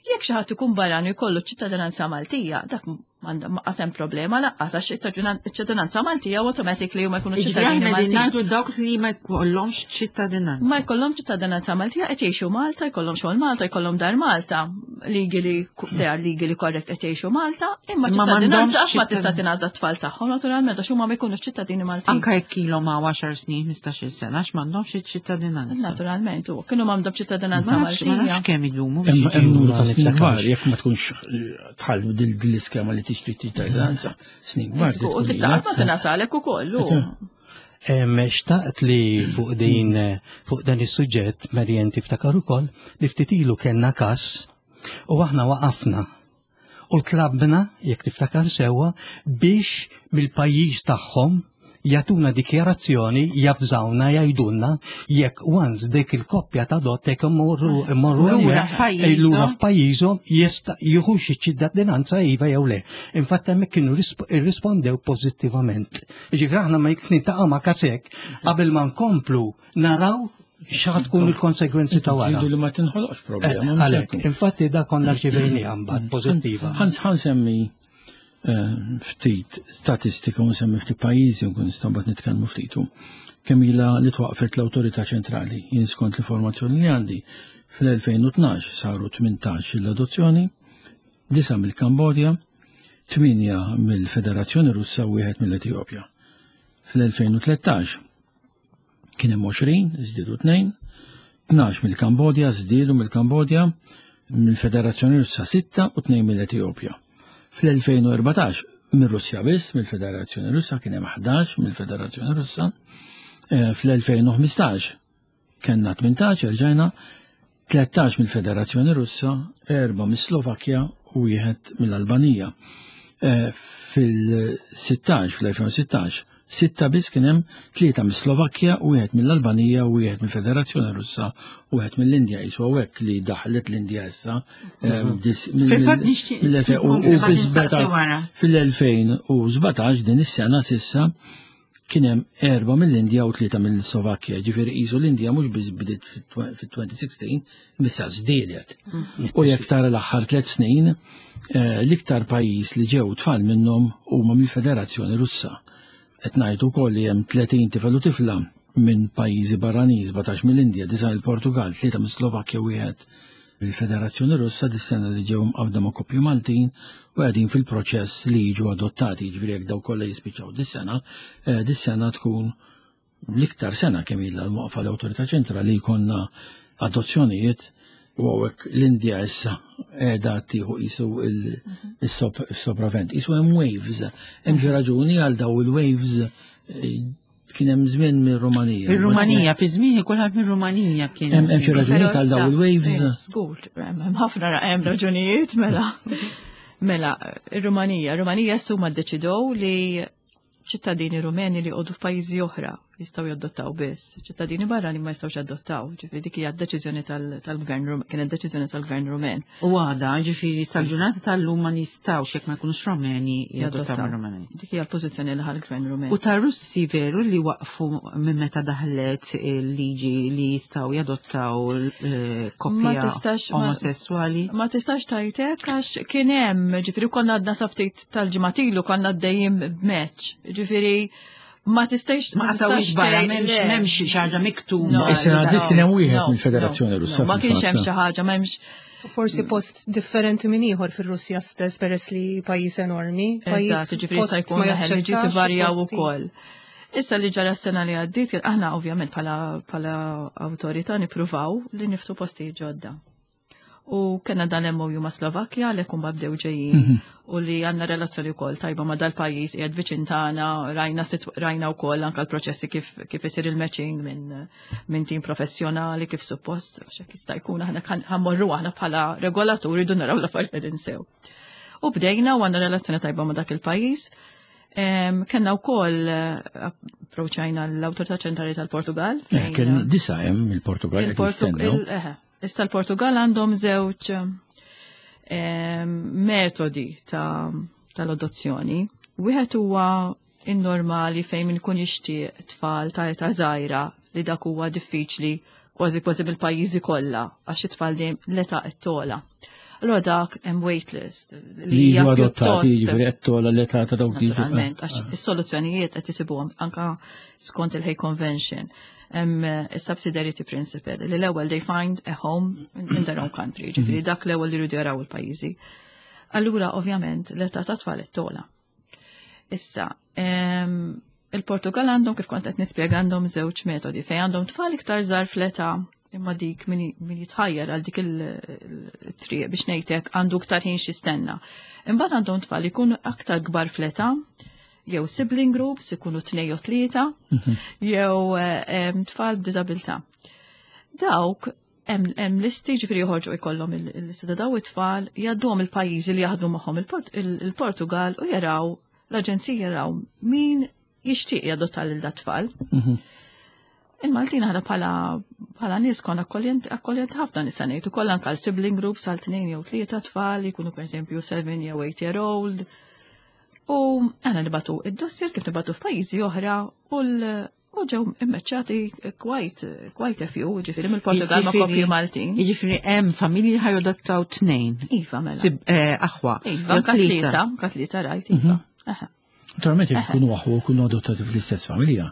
Jekk xi ħadd ikun barrani jkollu ċittadinanza Maltija, dak m'għandha problema laqqas għax iċ-ċittadinanza Maltija automatically huma jkunu ċittadini Maltin. Ngħidu dawk li ma jkollhomx ċittadinanza. Ma jkollhomx ċittadinanza Maltija qed jgħixu Malta, jkollhom xogħol Malta, jkollhom dar Malta, legally they are legally correct qed jgħixu Malta, imma ċittadinanza għax ma tista' tingħata t-tfal tagħhom naturalment għax huma ma jkunux ċittadini Maltin. Anke jekk ilhom ma' għaxar snin, ħmistax-il sena għax m'għandhomx iċ-ċittadinanza. Naturalment, u kienu m'għandhom ċittadinanza Maltija. Ma nafx kemm idumu. Hemm numru ta' snin kbar jekk ma tkunx tħall dil-iskema li tixtri ċittadinanza snin kbar. U tista' qatt ma tingħatalek ukoll. Xtaqt li fuq din fuq dan is-suġġett Marian tiftakar ukoll li ftit ilu kellna każ u aħna waqafna u tlabna jekk tiftakar sewwa biex mill-pajjiż tagħhom jagħtuna dikjarazzjoni jafżawna jgħidulna jekk once dik il-koppja ta' dot jekk imorru imorru lura f'pajjiżhom jista' jieħu xi ċittadinanza iva jew le. Infatti hemmhekk kienu irrispondew pożittivament. Jiġifieri aħna ma jekk niltaqgħu ma' każ hekk qabel ma nkomplu naraw x'ħa tkun il-konsegwenzi ta' wara. Jgħidu li ma tinħoloqx problema. Għalhekk, infatti da konna rċivejniha mbagħad pożittiva. Ħa nsemmi ftit statistika u nsemmi ftit pajjiżi u nkun nistgħu mbagħad nitkellmu ftitu. Kemm ilha li twaqfet l-Awtorità Ċentrali, jien skont l-informazzjoni li għandi, fl-elfejn u tnax saru tmintax l-adozzjoni, disa mill-Kambodja, tminja mill-Federazzjoni Russa u wieħed mill-Etjopja. Fl-elfejn u tlettax kien hemm għoxrin, żdiedu tnejn, tnax mill-Kambodja, żdiedu mill-Kambodja, mill-Federazzjoni Russa sitta u tnejn mill-Etjopja. Fl-elfejn u erbatax mir-Russja biss, mill-Federazzjoni Russa kien hemm ħdax mill-Federazzjoni Russa. Fl-elfejn u ħmistax kellna tmintax, erġajna tlettax mill-Federazzjoni Russa, erba' mis-Slovakkja u wieħed mill-Albanija. Fil-sittax, fl-elfejn u sittax, sitta biss kien hemm tlieta mis-Slovakkja, wieħed mill-Albanija, wieħed mill-Federazzjoni Russa, u wieħed mill-Indja. Qisu hawnhekk li daħlet l-Indja issa. Fil-fatt nixtieq fil-elfejn u sbatax din is-sena sissa kien hemm erba' mill-Indja u tlieta mill-Slovakkja. Ġifieri qisu l-Indja mhux biss bdiet fit-twenty sixteen, issa żdiedet. U jekk tara l-aħħar tliet snin, l-iktar pajjiż li ġew tfal minnhom huma mill-Federazzjoni Russa. Qed ngħidu wkoll li hemm tletin tifel u tifla minn pajjiżi barranin, sbatax mill-Indja, disa' mill-Portugal, tlieta mis-Slovakkja, wieħed mill-Federazzjoni Russa, dis-sena li ġew mqabda ma' koppju Maltin u qegħdin fil-proċess li jiġu adottati. Ġifieri jekk daw kollha jispiċċaw dis-sena, dis-sena tkun l-iktar sena kemm ilha l-waqfa l-Awtorità Ċentrali jkollna adozzjonijiet. U hawnhekk l-Indja issa qiegħda tieħu qisu il-sopravent. Qisu hemm waves, hemm xi raġuni għal daw il-waves. Kien hemm żmien mir-Rumanija. Ir-Rumanija, fi żmien kulħadd mir-Rumanija kien. Hemm xi raġuni għal daw il-waves. Żgur, hemm ħafna hemm raġunijiet mela. Mela, ir-Rumanija, ir-Rumanija issa huma ddeċidew li ċittadini Rumeni li jqogħdu f'pajjiżi oħra jistgħu jadottaw biss, ċittadini barra li ma jistgħux jadottaw, ġifieri dik hija d-deċiżjoni tal-gvern, kienet deċiżjoni tal-gvern Rumen. U għada, ġifieri sal-ġurnata tal-lum ma nistgħux jekk ma jkunux Rumeni jadottaw Rumeni. Dik hija l-pożizzjoni li ħa l-gvern Rumen. U tar-Russi veru li waqfu minn meta daħlet il-liġi li jistgħu jadottaw koppja omosessuali? Ma tistax tajtek għax kien hemm, ġifieri konna għadna sa ftit tal-ġimgħat ilu konna għaddejjin b'match, ġifieri ma tistax ma qasawix barra, m'hemmx xi ħaġa miktuba. Issa għaddit hemm wieħed mill-Federazzjoni Russa. Ma kienx hemm xi ħaġa, m'hemmx. Forsi post differenti minn ieħor fir-Russja stess peress li pajjiż enormi, pajjiż ġifieri jista' jkun liġi tivarjaw ukoll. Issa li ġara s-sena li għaddiet, aħna ovvjament bħala awtorità nippruvaw li niftu postijiet ġodda. U kellna dan M O U ma' Slovakkja li kumba bdew ġejjin u li għandna relazzjoni wkoll tajba ma' dal-pajjiż qiegħed viċin tagħna, rajna situ- rajna wkoll anke l-proċessi kif kif isir il-matching minn minn tim professjonali kif suppost, għax hekk jista' jkun aħna kan- ħa mmorru aħna bħala regolaturi dun naraw l-affarijiet qegħdin sew. U bdejna u għandna relazzjoni tajba ma' dak il-pajjiż. Em, Kellna wkoll eh, approachajna l-Awtorità Ċentrali tal-Portugal. Eh, fejn- Kien disa hemm il-Portugal qed Il-Portug- jistennew. il- eħe. Issa l-Portugal għandhom żewġ em, metodi ta' tal-adozzjoni. Wieħed huwa in-normali fejn min ikun jixtieq tfal ta' età żgħira, li dak huwa diffiċli kważi kważi bil-pajjiżi kollha għax it-tfal dejjem l-età qed togħla. Allura dak hemm waitlist Li hija jiġu adottati, pjuttost- jiġifieri qed togħla l-età ta' dawk li jiġu. Naturalment, għax is-soluzzjonijiet qed isibuhom anka skont il-Hague Convention. Hemm eh, is-subsidiarity principle li l-ewwel they find a home in in their own country, ġifieri dak l-ewwel li jridu jaraw il-pajjiżi. Allura ovvjament l-età ta' tfal qed togħla. Issa, em, il-Portugal għandhom, kif kont qed nispjega, għandhom żewġ metodi fejn għandhom tfal iktar żgħar fl-età, imma dik min min jitħajjar għal dik il-triq biex ngħidlek għandu iktar ħin xistenna. Imbagħad għandhom tfal jkunu aktar kbar fl-età, jew sibling groups ikunu tnejn jew tlieta, jew eh, em, tfal b'diżabilità. Dawk hemm hemm listi, ġifieri joħorġu jkollhom il- il-lista ta' daw it-tfal, jgħadduhom il-pajjiżi li jaħdmu magħhom il-Port- il- il-Portugal u jaraw l-aġenzija, jaraw min jixtieq jadotta lil dat tfal. Il-Maltin aħna bħala bħala nies konna akkoljent akkoljent ħafna, nista' ngħid ukoll anke għal sibling groups għal tnejn jew tlieta tfal jkunu pereżempju seven jew eight year old. U aħna nibagħtu id-dossier kif nibagħtu f'pajjiżi oħra u l- u ġew immeċċati quite quite a few, ġifieri mill-Portugal ma' Jiġifieri- koppji Maltin. Jiġifieri hemm familji ħa jadottaw tnejn. Iva, mela. Sib eh, aħwa. Iva, jew anka tlieta, anka tlieta rajt, iva. Aha. Naturalment jekk ikunu aħwa u jkunu adottati fl-istess familja.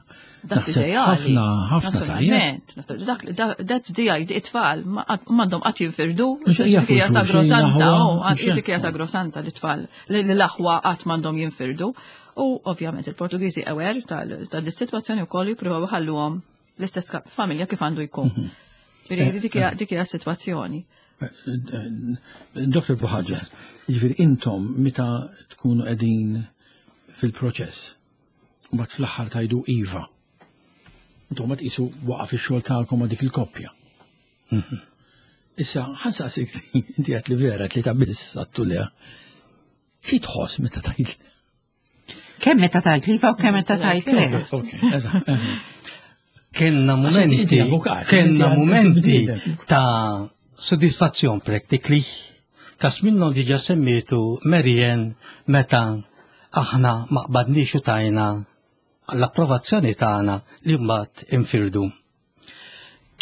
Dak Naħseb ideali. ħafna, ħafna tajjeb. Naturalment, natu- dak- dak- that's the idea, it-tfal, ma- m'għandhom qatt jinfirdu, Mhux dik jafu hija xulxin, sagrosanta, aħwa, oh, mhux dik hija sagrosanta li tfal, li li l-aħwa qatt m'għandhom jinfirdu. U ovvjament il-Portugiżi aware tal ta' dis-sitwazzjoni wkoll jippruvaw iħalluhom l-istess ka- familja kif għandu jkun. Mhm. Ġifieri dik hija dik hija s-sitwazzjoni. Doktor Buhagiar, jiġifieri intom meta tkunu qegħdin fil-proċess, u mbagħad fl-aħħar tgħidu iva. Intom ma tqisu waqaf ix-xogħol tagħkom ma' dik il-koppja. Issa, ħa nsaqsik, inti għedt li vera tlieta biss għedtu le. Xi tħoss meta tgħid? Kemm meta tajt iva u kemm meta tajt le. Ok, eżatt. Kenna momenti, inti avukat, kenna inti- momenti inti- ta' soddisfazzjon practically. Kas minnhom diġa semmietu Marian meta aħna ma qbadniex u tajna l-approvazzjoni tagħna li mbagħad infirdu.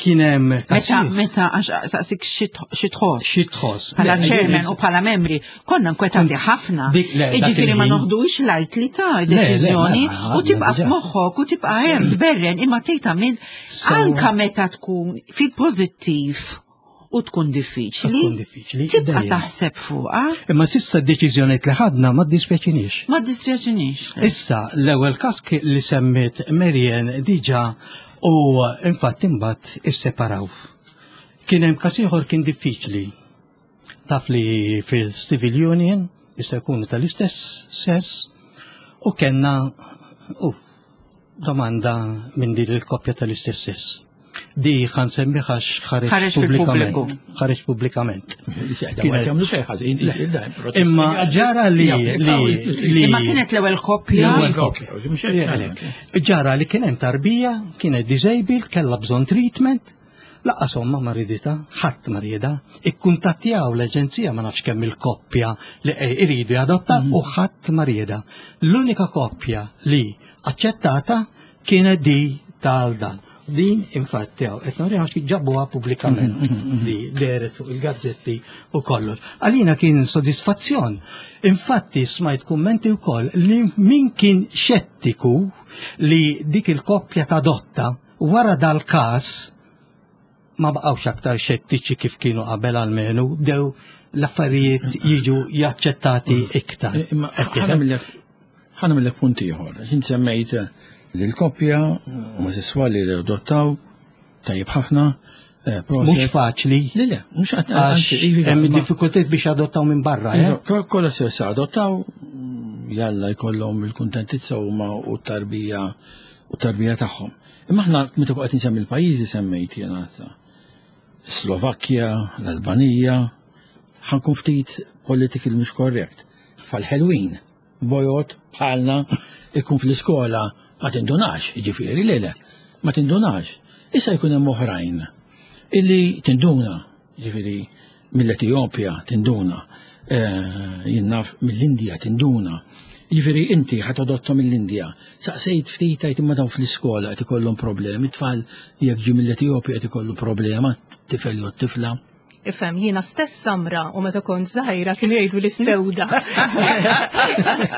Kien hemm Meta, meta, għax saqsik xi tħoss. Xi tħoss. Bħala Le, chairman u bħala membri, konna nkwetati ħafna. Dik- le, dak Iġifieri ma il-ħin. noħdux lightly ta' Le, le, deċiżjoni ma- u tibqa' diġà. f'moħħok u tibqa' hemm tberren, imma tgħid għamil So- anka meta tkun fil-pożittiv u tkun diffiċli. Tkun diffiċli, Tibqa' dejjem. taħseb fuqha. Imma s'issa d-deċiżjoni li ħadna ma ddispjaċinix. Ma dispjaċinix. Issa, l-ewwel każ li semmiet Marian diġà u infatti imbagħad isseparaw. Kien hemm każ ieħor kien diffiċli. Taf li fil-Civil Union jista' jkunu tal-istess sess u kellna u domanda minn din il-koppja tal-istess sess. Di ħa nsemmi għax Ħareġ ħareġ fil-pubbliku. pubblikament. Ħareġ pubblikament. Ma jagħmlu xejn ħażin, Imma ġara li li li Imma kienet l-ewwel koppja. L-ewwel koppja. Ġara li kien hemm tarbija, kienet disabled, kellha bżonn treatment, lanqas omma ma riditha, ħadd ma rieda, ikkuntattjaw l-aġenzija ma nafx kemm il-koppja li iridu jadotta u ħadd ma rieda. L-unika koppja li aċċettata kienet di tal-dan. Din infatti għaw, qed nuriha għax ġabuha pubblikament di dehret fuq il-gazzetti u kollox. Għalina kien sodisfazzjon. Infatti smajt kummenti wkoll li min kien xettiku li dik il-koppja tadotta, wara dal-każ ma baqgħux aktar xettiċi kif kienu qabel, almenu bdew l-affarijiet jiġu jaċċettati iktar. Imma ħa nagħmillek punt ieħor. Jien semmejt li l-koppja omosessuali li adottaw, tajjeb ħafna, Eh, Mhux faċli. Le, le, mhux qed Għax hemm diffikultajiet biex adottaw minn barra, eh? Iva, Kollha se se adottaw, jalla jkollhom il-kuntentizza huma u t-tarbija u t-tarbija tagħhom. Imma aħna meta qed insemmi l-pajjiżi semmejt jiena sa. Slovakkja, l-Albanija, ħa nkun ftit political mhux correct. Fal-ħelwin, bojod bħalna ikun fl-iskola ma tindunax, jiġifieri le le, ma tindunax. Issa jkun hemm oħrajn illi tinduna, jiġifieri mill-Etjopja tinduna, eh, jien naf mill-Indja tinduna. Jiġifieri inti ħa tadotta mill-Indja. Saqsejt ftit tajt imma dawn fl-iskola qed ikollhom problemi, tfal jekk ġi mill-Etjopja qed ikollu problema, tifel jew tifla. Ifhem, jiena stess samra u meta kont żgħira kienu jgħidu li sewda.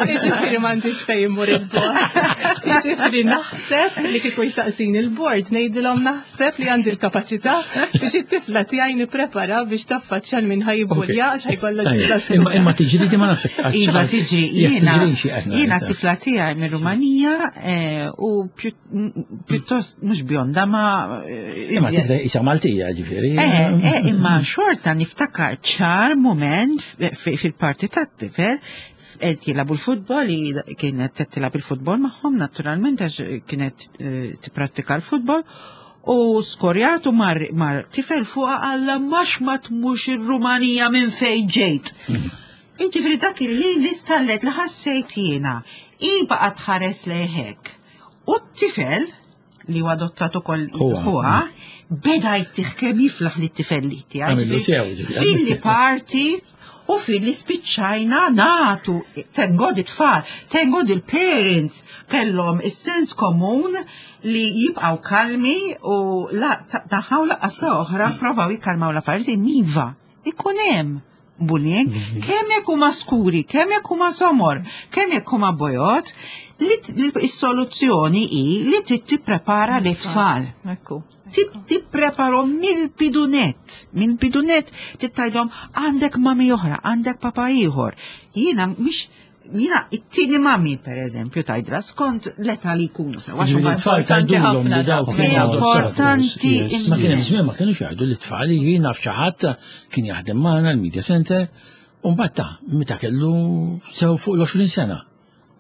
Jiġifieri m'għandix fejn immur il-bord. Jiġifieri naħseb li kieku jsaqsin il-bord, ngħidilhom naħseb li għandi l-kapaċità biex it-tifla tiegħi nipprepara biex taffaċċja l min ħa jibbulja għax ħa jkollha ġilda Imma imma tiġri di ma nafx. Iva tiġri, jiena jiena t-tifla tiegħi minn Rumanija eh, u pjuttost mhux bjonda ma eh, Imma tifla isa Maltija ġifieri. Eh, eh, imma xorta niftakar ċar moment fil-parti tat-tifel qed jilagħbu l-futbol, kienet tilgħab il-futbol magħhom naturalment għax kienet tipprattika l-futbol u skorjatu mar, mar tifel fuqa għalla max ma tmux il-Rumanija minn fejn ġejt. Jiġifieri dak il-ħin li stallet li ħassejt jiena, i baqgħet tħares lejhek. U t-tifel li huwa adottat ukoll ħuha, beda jtih kemm jiflaħ li t-tifel li tiegħi. Fil-li parti u fil-li spiċċajna natu, thank God it-tfal, thank God il-parents kellhom is-sens komun li jibqaw kalmi u la taħaw laqqas la oħra provaw jikkalmaw l-affarijiet iva, ikun hemm bullying, kemm jekk huma skuri, kemm jekk huma somor, kemm jekk huma bojod, li is-soluzzjoni hi li tipprepara l-tfal. Ekku. Tippreparhom mill-bidunet, mill-bidunet tgħidilhom għandek mami oħra, għandek papa ieħor. Jiena mhix jiena it-tieni mami per eżempju tgħidilha skont l-età li jkunu sewa. Tfal tgħidulhom li dawk kienu Importanti. Ma kien hemm żmien ma kienux jgħidu li tfal jiena f'xi ħadd kien jaħdem magħna l-media center u mbagħad ta' meta kellu sew fuq l-għoxrin sena.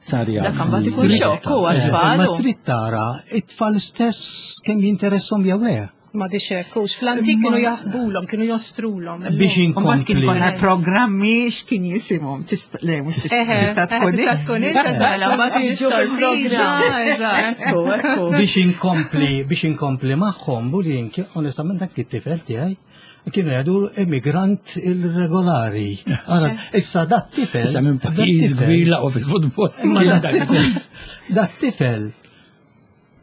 Sar jaf. Dak mbagħad ikun xokk u għat-tfal. Ma trid tara, it-tfal stess kemm jinteressom jew le. Ma diċek, ux fl-antik kienu jaħbulhom, kienu jostrulhom. Biex Mbagħad kif inkompli. konna programmi x'kien jisimhom tista' le mhux tista' Eħe, tista' tkun tista' tkun inta Mela, mbagħad jiġu sorpriża, fil-programm. eżatt. Ekku, ekku. Biex inkompli, biex inkompli magħhom, bullying, onestament dak it-tifel tiegħi kienu jgħidu immigrant irregolari. Ara, issa dat tifel. Issa minn dat pajjiż tifel- kbir laqgħu fil-futbol. Imma Kien dat dak tifel- Dat tifel,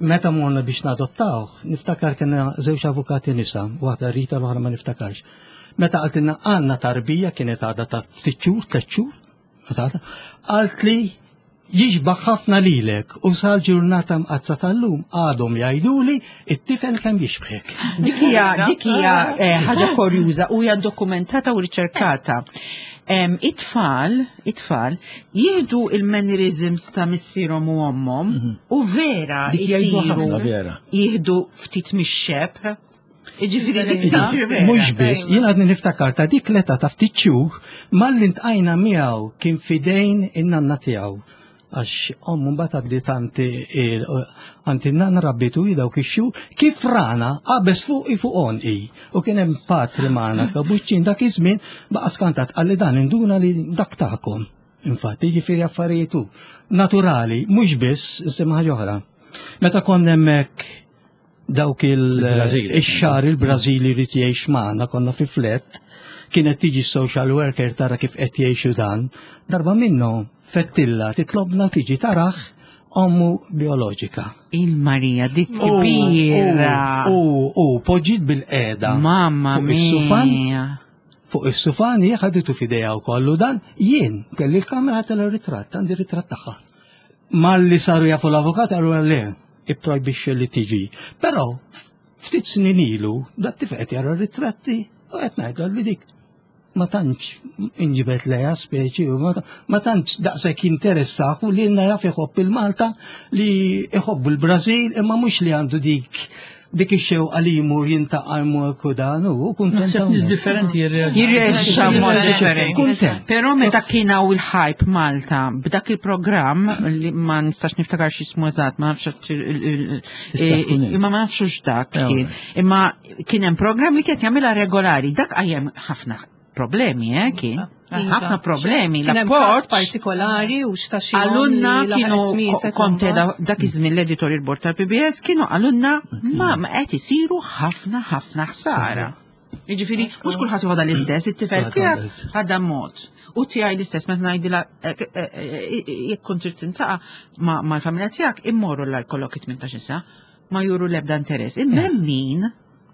meta morna biex nadottaw, niftakar kena żewġ avukati nisa, waħda Rita l-oħra ma niftakarx. Meta qaltilna għandna tarbija kienet għadha ta' ftit xhur, tliet xhur, meta għadha, qalt li jixbaħ ħafna lilek u sal-ġurnata mqazza tal-lum għadhom jgħiduli it-tifel kemm jixbħek. Dik hija dik hija eh, ħaġa kurjuża u hija dokumentata u riċerkata. Em, It-tfal, it-tfal jieħdu il-mannerisms ta' missierhom u ommhom u vera Dik jgħidu isiru ħafna vera. jieħdu ftit mix-xebh. Jiġifieri dik tiġri vera. Mhux biss, jien għadni niftakar ta' dik l-età ta' ftit xhur malli ltqajna miegħu kien fidejn in-nanna tiegħu. Għax ommu mbagħad għaddiet għandi għand in-nanna rabbitu hi dawk ix-xhur kif rana qabeż fuqi fuq għonqi. U kien hemm patri magħna kabuċċin dak iż-żmien baqa' skantat qalli dan induna li dak tagħkom. Infatti, jiġifieri affarijiet naturali, mhux biss insemma ħaġa oħra. Meta konna hemmhekk dawk il- Il-Brażil. ix-xahar il-Brażili jrid jgħix magħna konna fi flat, kienet tiġi social worker tara kif qed jgħixu dan, darba minnu fettilla titlobna tiġi taraħ ommu bioloġika. Il-Marija dik kbira. U u poġġiet bil-qeda Mamma fuq is-sufan, mia. fuq is-sufan hija ħaditu f'idejha wkoll u dan jien kelli l-kamera tal-ritratt, għandi ritratt tagħha. Malli saru jafu l-avukat għallu le, ipprojbixxi li tiġi. Però ftit snin ilu, dat tifel qed jara ritratti u qed ngħidlu li dik ma tantx inġibet leja speċi u ma ta- ma tantx daqshekk jinteressah u li lna jaf iħobb il-Malta li iħobbu l-Brażil imma mhux li għandu dik Dik ix-xewqa li jmur jiltaqa' jmur u dan u kuntent. Naħseb nies differenti jirreaġixxu. Jirreaġixxa mod differenti. Kuntent. Però meta kien hawn il-hype Malta b'dak il-programm li ma nistax niftakar x'ismu eżatt, ma nafx il- il- Tista' tkun int. imma ma nafx x'dak Eh, kien. Imma kien hemm programm li kien jagħmilha regolari, dak qajjem ħafna problemi, eh, kien. Iva. Ħafna problemi, Kien hemm każ l-appoġġ. partikolari u x'ta' xi Għalunna li kienu laħqet mietet konte imbagħad. dak iż-żmien l-editorial board tal-P B S kienu għalunna ma ma qed isiru ħafna ħafna ħsara. Jiġifieri mhux kulħadd joħodha l-istess, it-tifel tiegħek ħadha mod. U tiegħi l-istess meta ngħidilha eh, eh, eh, jekk kont trid tiltaqa' ma' mal-familja tiegħek immorru la jkollok tmintax-il sena, ma juru l-ebda interess. Imma hemm min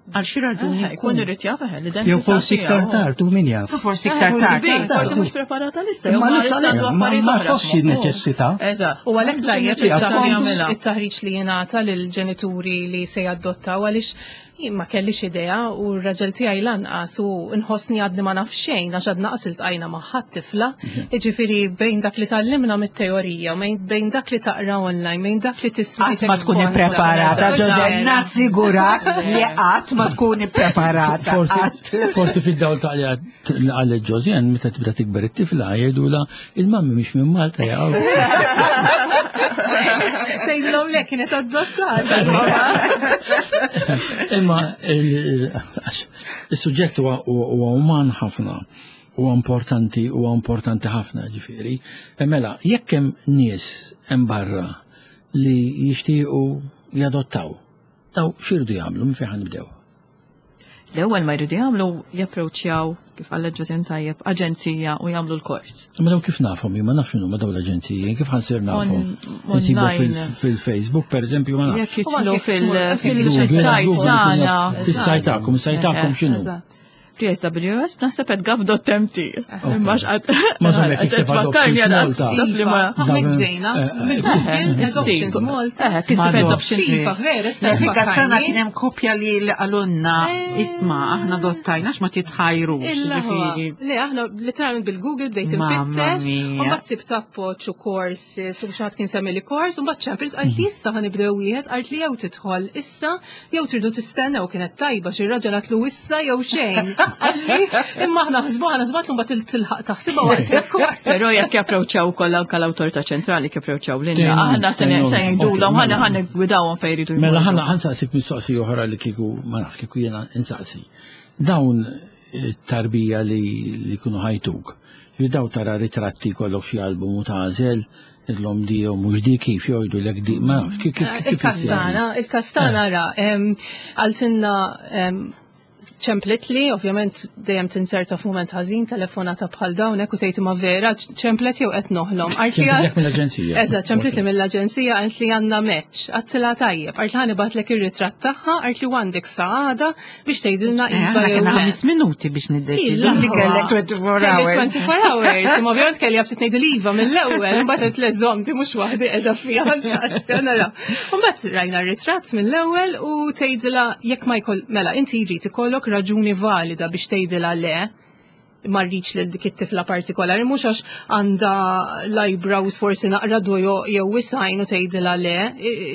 għal xi raġuni Jkun irid jaf eh, l-identità Jew forsi iktar tiegħu. tard, u min jaf. Forsi Eh, iktar forsi tard. bejn, Forsi mhux preparata lista, jew Ma ma nafx issa għandu għalhekk, ma affarijiet ma oħra tħossx f'moħħu. neċessità. Eżatt. U għalhekk tajjeb Għandu xi it-taħriġ jagħmilha. it-taħriġ li jingħata lill-ġenituri li se jadottaw, għaliex jien ma kellix idea u r-raġel tiegħi lanqas, u nħossni għadni ma naf xejn għax għadna qas iltqajna ma' ħadd tifla. Jiġifieri bejn dak li tgħallimna mit-teorija, u bejn- bejn dak li taqra online, bejn dak li tisma' Qatt ma tkun ippreparata, Jose, nassigurak li qatt ma tkun ippreparata. Forsi Qatt. Forsi fid-dawl ta' li għalet Josian, meta tibda tikber it-tifla jgħidula il-mammi mhix minn Malta jgħu. Tgħidilhom le, kienet adottata. Imma il- għax il-suġġett huwa huwa uman ħafna, huwa importanti, huwa importanti ħafna ġifieri. E mela, jekk hemm nies hemm barra li jixtiequ jadottaw, daw x'iridu jagħmlu, minn fejn nibdew? L-ewwel ma jridu jagħmlu japproċċjaw, kif qalet Josian tajjeb, aġenzija u jagħmlu l-kors. Ma daw kif nafhom, jien ma nafx x'inhu ma daw l-aġenziji, kif ħa nsir nafhom? On- Insibu fil- online. fil-Facebook, per eżempju, ma nafx. Jekk jidħlu U anke fil- fil- fil-site tagħna. Is-site tagħkom, is-site tagħkom x'inhu? Eżatt. P S W S naħseb at gov punt M T. Imma x'qed Ma żomm jekk jikteb tfakkarni Adoptions għal Malta. dak li ma Iva, aħna bdejna mill-Google Adoptions Malta. Eh, kisib Ma adoptions. Iva, vera, issa Fika stana tfakkarni. kien hemm koppja li li qalulna, "Isma', aħna adottajna, ma titħajrux." Illa huwa. Ġifieri. Le, aħna literalment bil-Google bdejt Mamma infittex, mia. u mbagħad sibt appoġġ u courses, u xi ħadd kien semmi li kors, u mbagħad ċempilt, għalt li issa ħa nibdew wieħed, għalt li jew tidħol issa, jew tridu tistennew. Kienet tajba xi raġel għatlu issa jew xejn. Għalli, imma aħna ħsbu aħna żbatlu mbagħad tilħaq taħsibha waqt il-kors. Però jekk japproċċjaw ukoll anke l-awtorità ċentrali, kif approċċjaw lilna, Tgħinhom, aħna se tgħinhom. se ngħidulhom, Ok, ħana mela. ħana gwidawhom fejn jridu Mela jmorru. ħana ħa nsaqsik mistoqsija oħra li kieku ma nafx kieku jiena insaqsi. Dawn eh, tarbija li li kunu ħa jtuk. Li daw tara ritratti, kollok xi album u tagħżel illum di jew mhux di, kif jgħidu lek di, ma nafx kif kif kif Il-kastana, il-kastana ra, em, għaltinna em, ċemplet li, ovvjament dejjem tinserta f'mument ħażin telefonata bħal dawn hekk u tgħid, "Ma vera ċemplet jew qed noħlom?" Għalt li Ċemplitlek mill-aġenzija. Eżatt, ċemplet li mill-aġenzija, għalt li għandna match. Għedtilha tajjeb, għalt li ħa nibgħatlek ir-ritratt tagħha, għalt li għandek sa għada biex tgħidilna Eh, iva Aħna jew kena le. ħames minuti biex niddeċidu. Illa. Inti kellek twenty-four Kelli hours. twenty-four hours. Imma ovvjament kelli għabtit ngħidu l-iva mill-ewwel, imbagħad qed leżom di mhux waħdi qiegħda fiha saqsi, nara. Imbagħad rajna r-ritratt mill-ewwel u tgħidilha jekk ma jkoll, mela inti jrid ikollok raġuni valida biex tgħidilha le, ma rridx lil dik it-tifla partikolari, mhux għax għandha l-eyebrows forsi naqra dojo jew wisajn u tgħidilha le,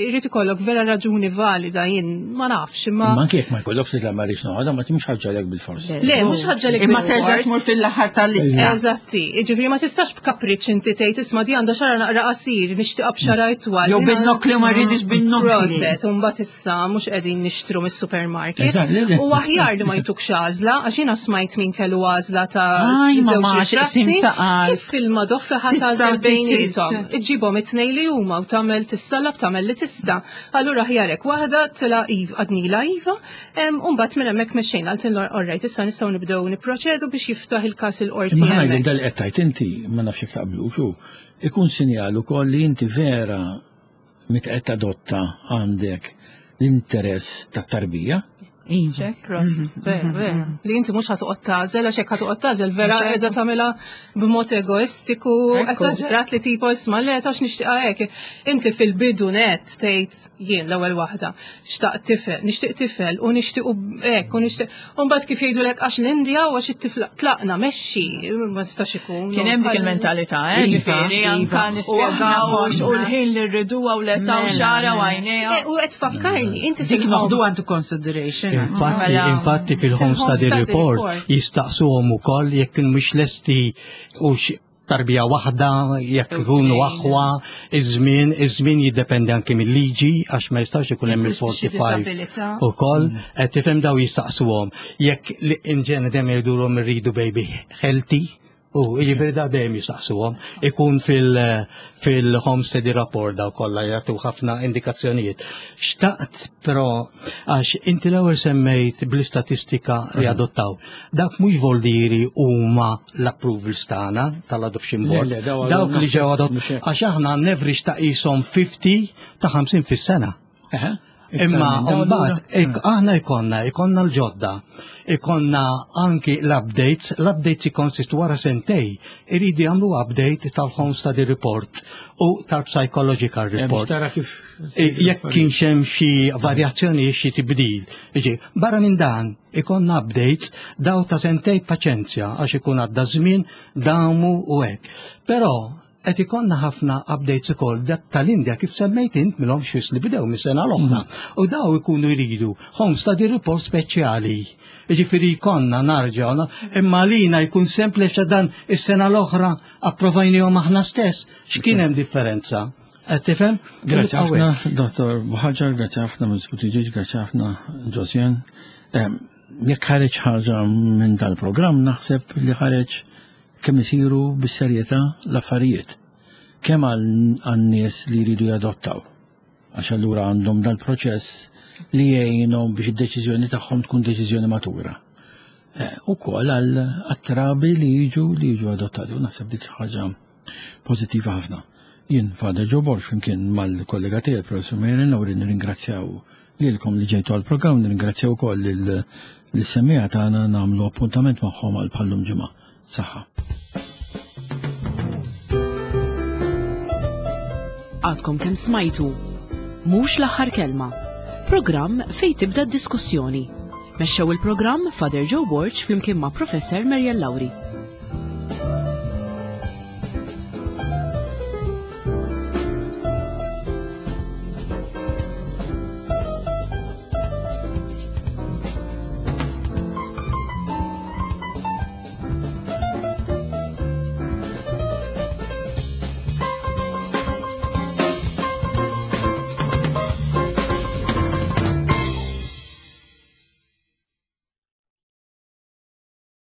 irid ikollok vera raġuni valida, jien ma nafx imma Ma anke jekk ma jkollokx li ma rridx noħodha, ma timx ħaġa lek bil-fors. Le, mhux ħaġa li Imma terġa' tmur fil-aħħar tal-lista. Eżatti, ġifieri ma tistax b'kapriċ inti tgħid, "Isma', di għandha xagħar naqra qasir, nixtieqha b'xagħar itwal." Jew bin-nokli, ma rridix bin-nokli. Proset, u mbagħad issa mhux qegħdin nixtru mis-supermarket. Eżatt, le, le. U aħjar li ma jtukx għażla, għax jiena smajt min kellu għażla ta' Aj, żewġ mamma, ritratti, x'qsim ta' qalb. kif fil-madoffi ħa Tista' tagħżel bejniethom. tit- Iġġibhom it-tnejn li huma u tagħmel tissallab, tagħmel li tista'. Allura ħjarek waħda tila iva, għednilha iva, em, u mbagħad minn hemmhekk mexxejna, għaltin orrajt, issa nistgħu nibdew nipproċedu biex jiftaħ il-każ il-qorti Imma ħa ngħidlek hemmhekk. dal qed tajt inti, ma nafx jekk taqblux, u ikun sinjal ukoll li inti vera meta qed tadotta għandek l-interess tat-tarbija. Iva. Ċek, ras, vera, vera. Li inti mhux ħa toqgħod tagħżel, għax hekk ħa toqgħod tagħżel, vera qiegħda tagħmilha b'mod egoistiku, esaġerat li tipo isma' le tax nixtieqha hekk. Inti fil-bidu net tgħid jien l-ewwel waħda, xtaqt tifel, nixtieq tifel u nixtieq hekk u nixtieq. U mbagħad kif jgħidulek għax l-Indja u għax it-tifla tlaqna mexxi, ma nistax ikun. Kien hemm dik il-mentalità, eh, Iva, ġifieri, iva. anka nispjegaw u l-ħin li rriduha u l-età u Mela, xara u mela. għajnejha. Eh, U qed tfakkarni, inti Dik fil-home. noħdu għandu consideration. Infatti, Mela. infatti fil-home Fil-home study study report report. jistaqsuhom ukoll jekk mhux lesti u x- tarbija waħda, jekk ikunu aħwa, iż-żmien, iż-żmien jiddependi anke mill-liġi għax ma jistax ikun hemm Jekk hux xi il-forty-five disabilità. ukoll, qed tifhem daw jistaqsuhom. Jekk li in ġene dejjem jgħidulhom irridu baby healthy, u jiġifieri da dejjem jistaqsuhom, ikun fil- fil-home study report daw kollha jagħtu ħafna indikazzjonijiet. Xtaqt però għax inti l-ewwel semmejt bl-istatistika li adottaw. Dak mhux voldiri huma l-approvals tagħna tal-adoption Le, board. le, daw Dawk li ġew adott mhux hekk. għax aħna average ta' qishom ħamsin ta' ħamsin fis-sena. Eħe. Imma Iktar minn dawn mbagħad allura? ik- aħna ikonna ikonna l-ġodda, ikonna anki l-updates, l-updates ikonsistu wara sentej, iridu jagħmlu update tal-home study report u tal-psychological Eh, biex report. tara kif. E, Jekk kienx hemm xi varjazzjoni xi tibdil. Iġi, barra minn dan ikonna updates daw ta' sentej paċenzja għax ikun għadda żmien damu u hekk. Però qed ikonna ħafna updates ukoll dak tal-Indja kif semmejt int minnhom xis li bdew mis-sena l-oħra. U daw ikunu jridu home study report speċjali. Jiġifieri jkollna narġgħu, imma lina jkun sempliċi dan is-sena l-oħra approvajnihom aħna stess. X'kien hemm differenza? Qed tifhem? Grazie ħafna, Dottor Buhagiar, grazie ħafna Miz Buttigieg, grazie ħafna Josian. Jekk ħareġ ħaġa minn dal-programm, naħseb li ħareġ kemm isiru bis-serjetà l-affarijiet. Kemm għan-nies li jridu jadottaw. Għax allura għandhom dal-proċess li jgħinhom biex id-deċiżjoni tagħhom tkun deċiżjoni matura. Ukoll għal trabi li jiġu li jiġu adottati. U naħseb dik ħaġa pożittiva ħafna. Jien Father Joe Borg flimkien mal-kollega tiegħi Professor Marian Lauri nirringrazzjaw lilkom li ġejtu għall-programm, nirringrazzjaw ukoll lis-semmiegħa tagħna, nagħmlu appuntament magħhom għal bħallum ġimgħa. Saħħa. Għadkom kemm smajtu. Mhux l-aħħar kelma. Programm fejn tibda d-diskussjoni. Mexxew il-programm Father Joe Borg flimkien ma' Professor Marian Lauri.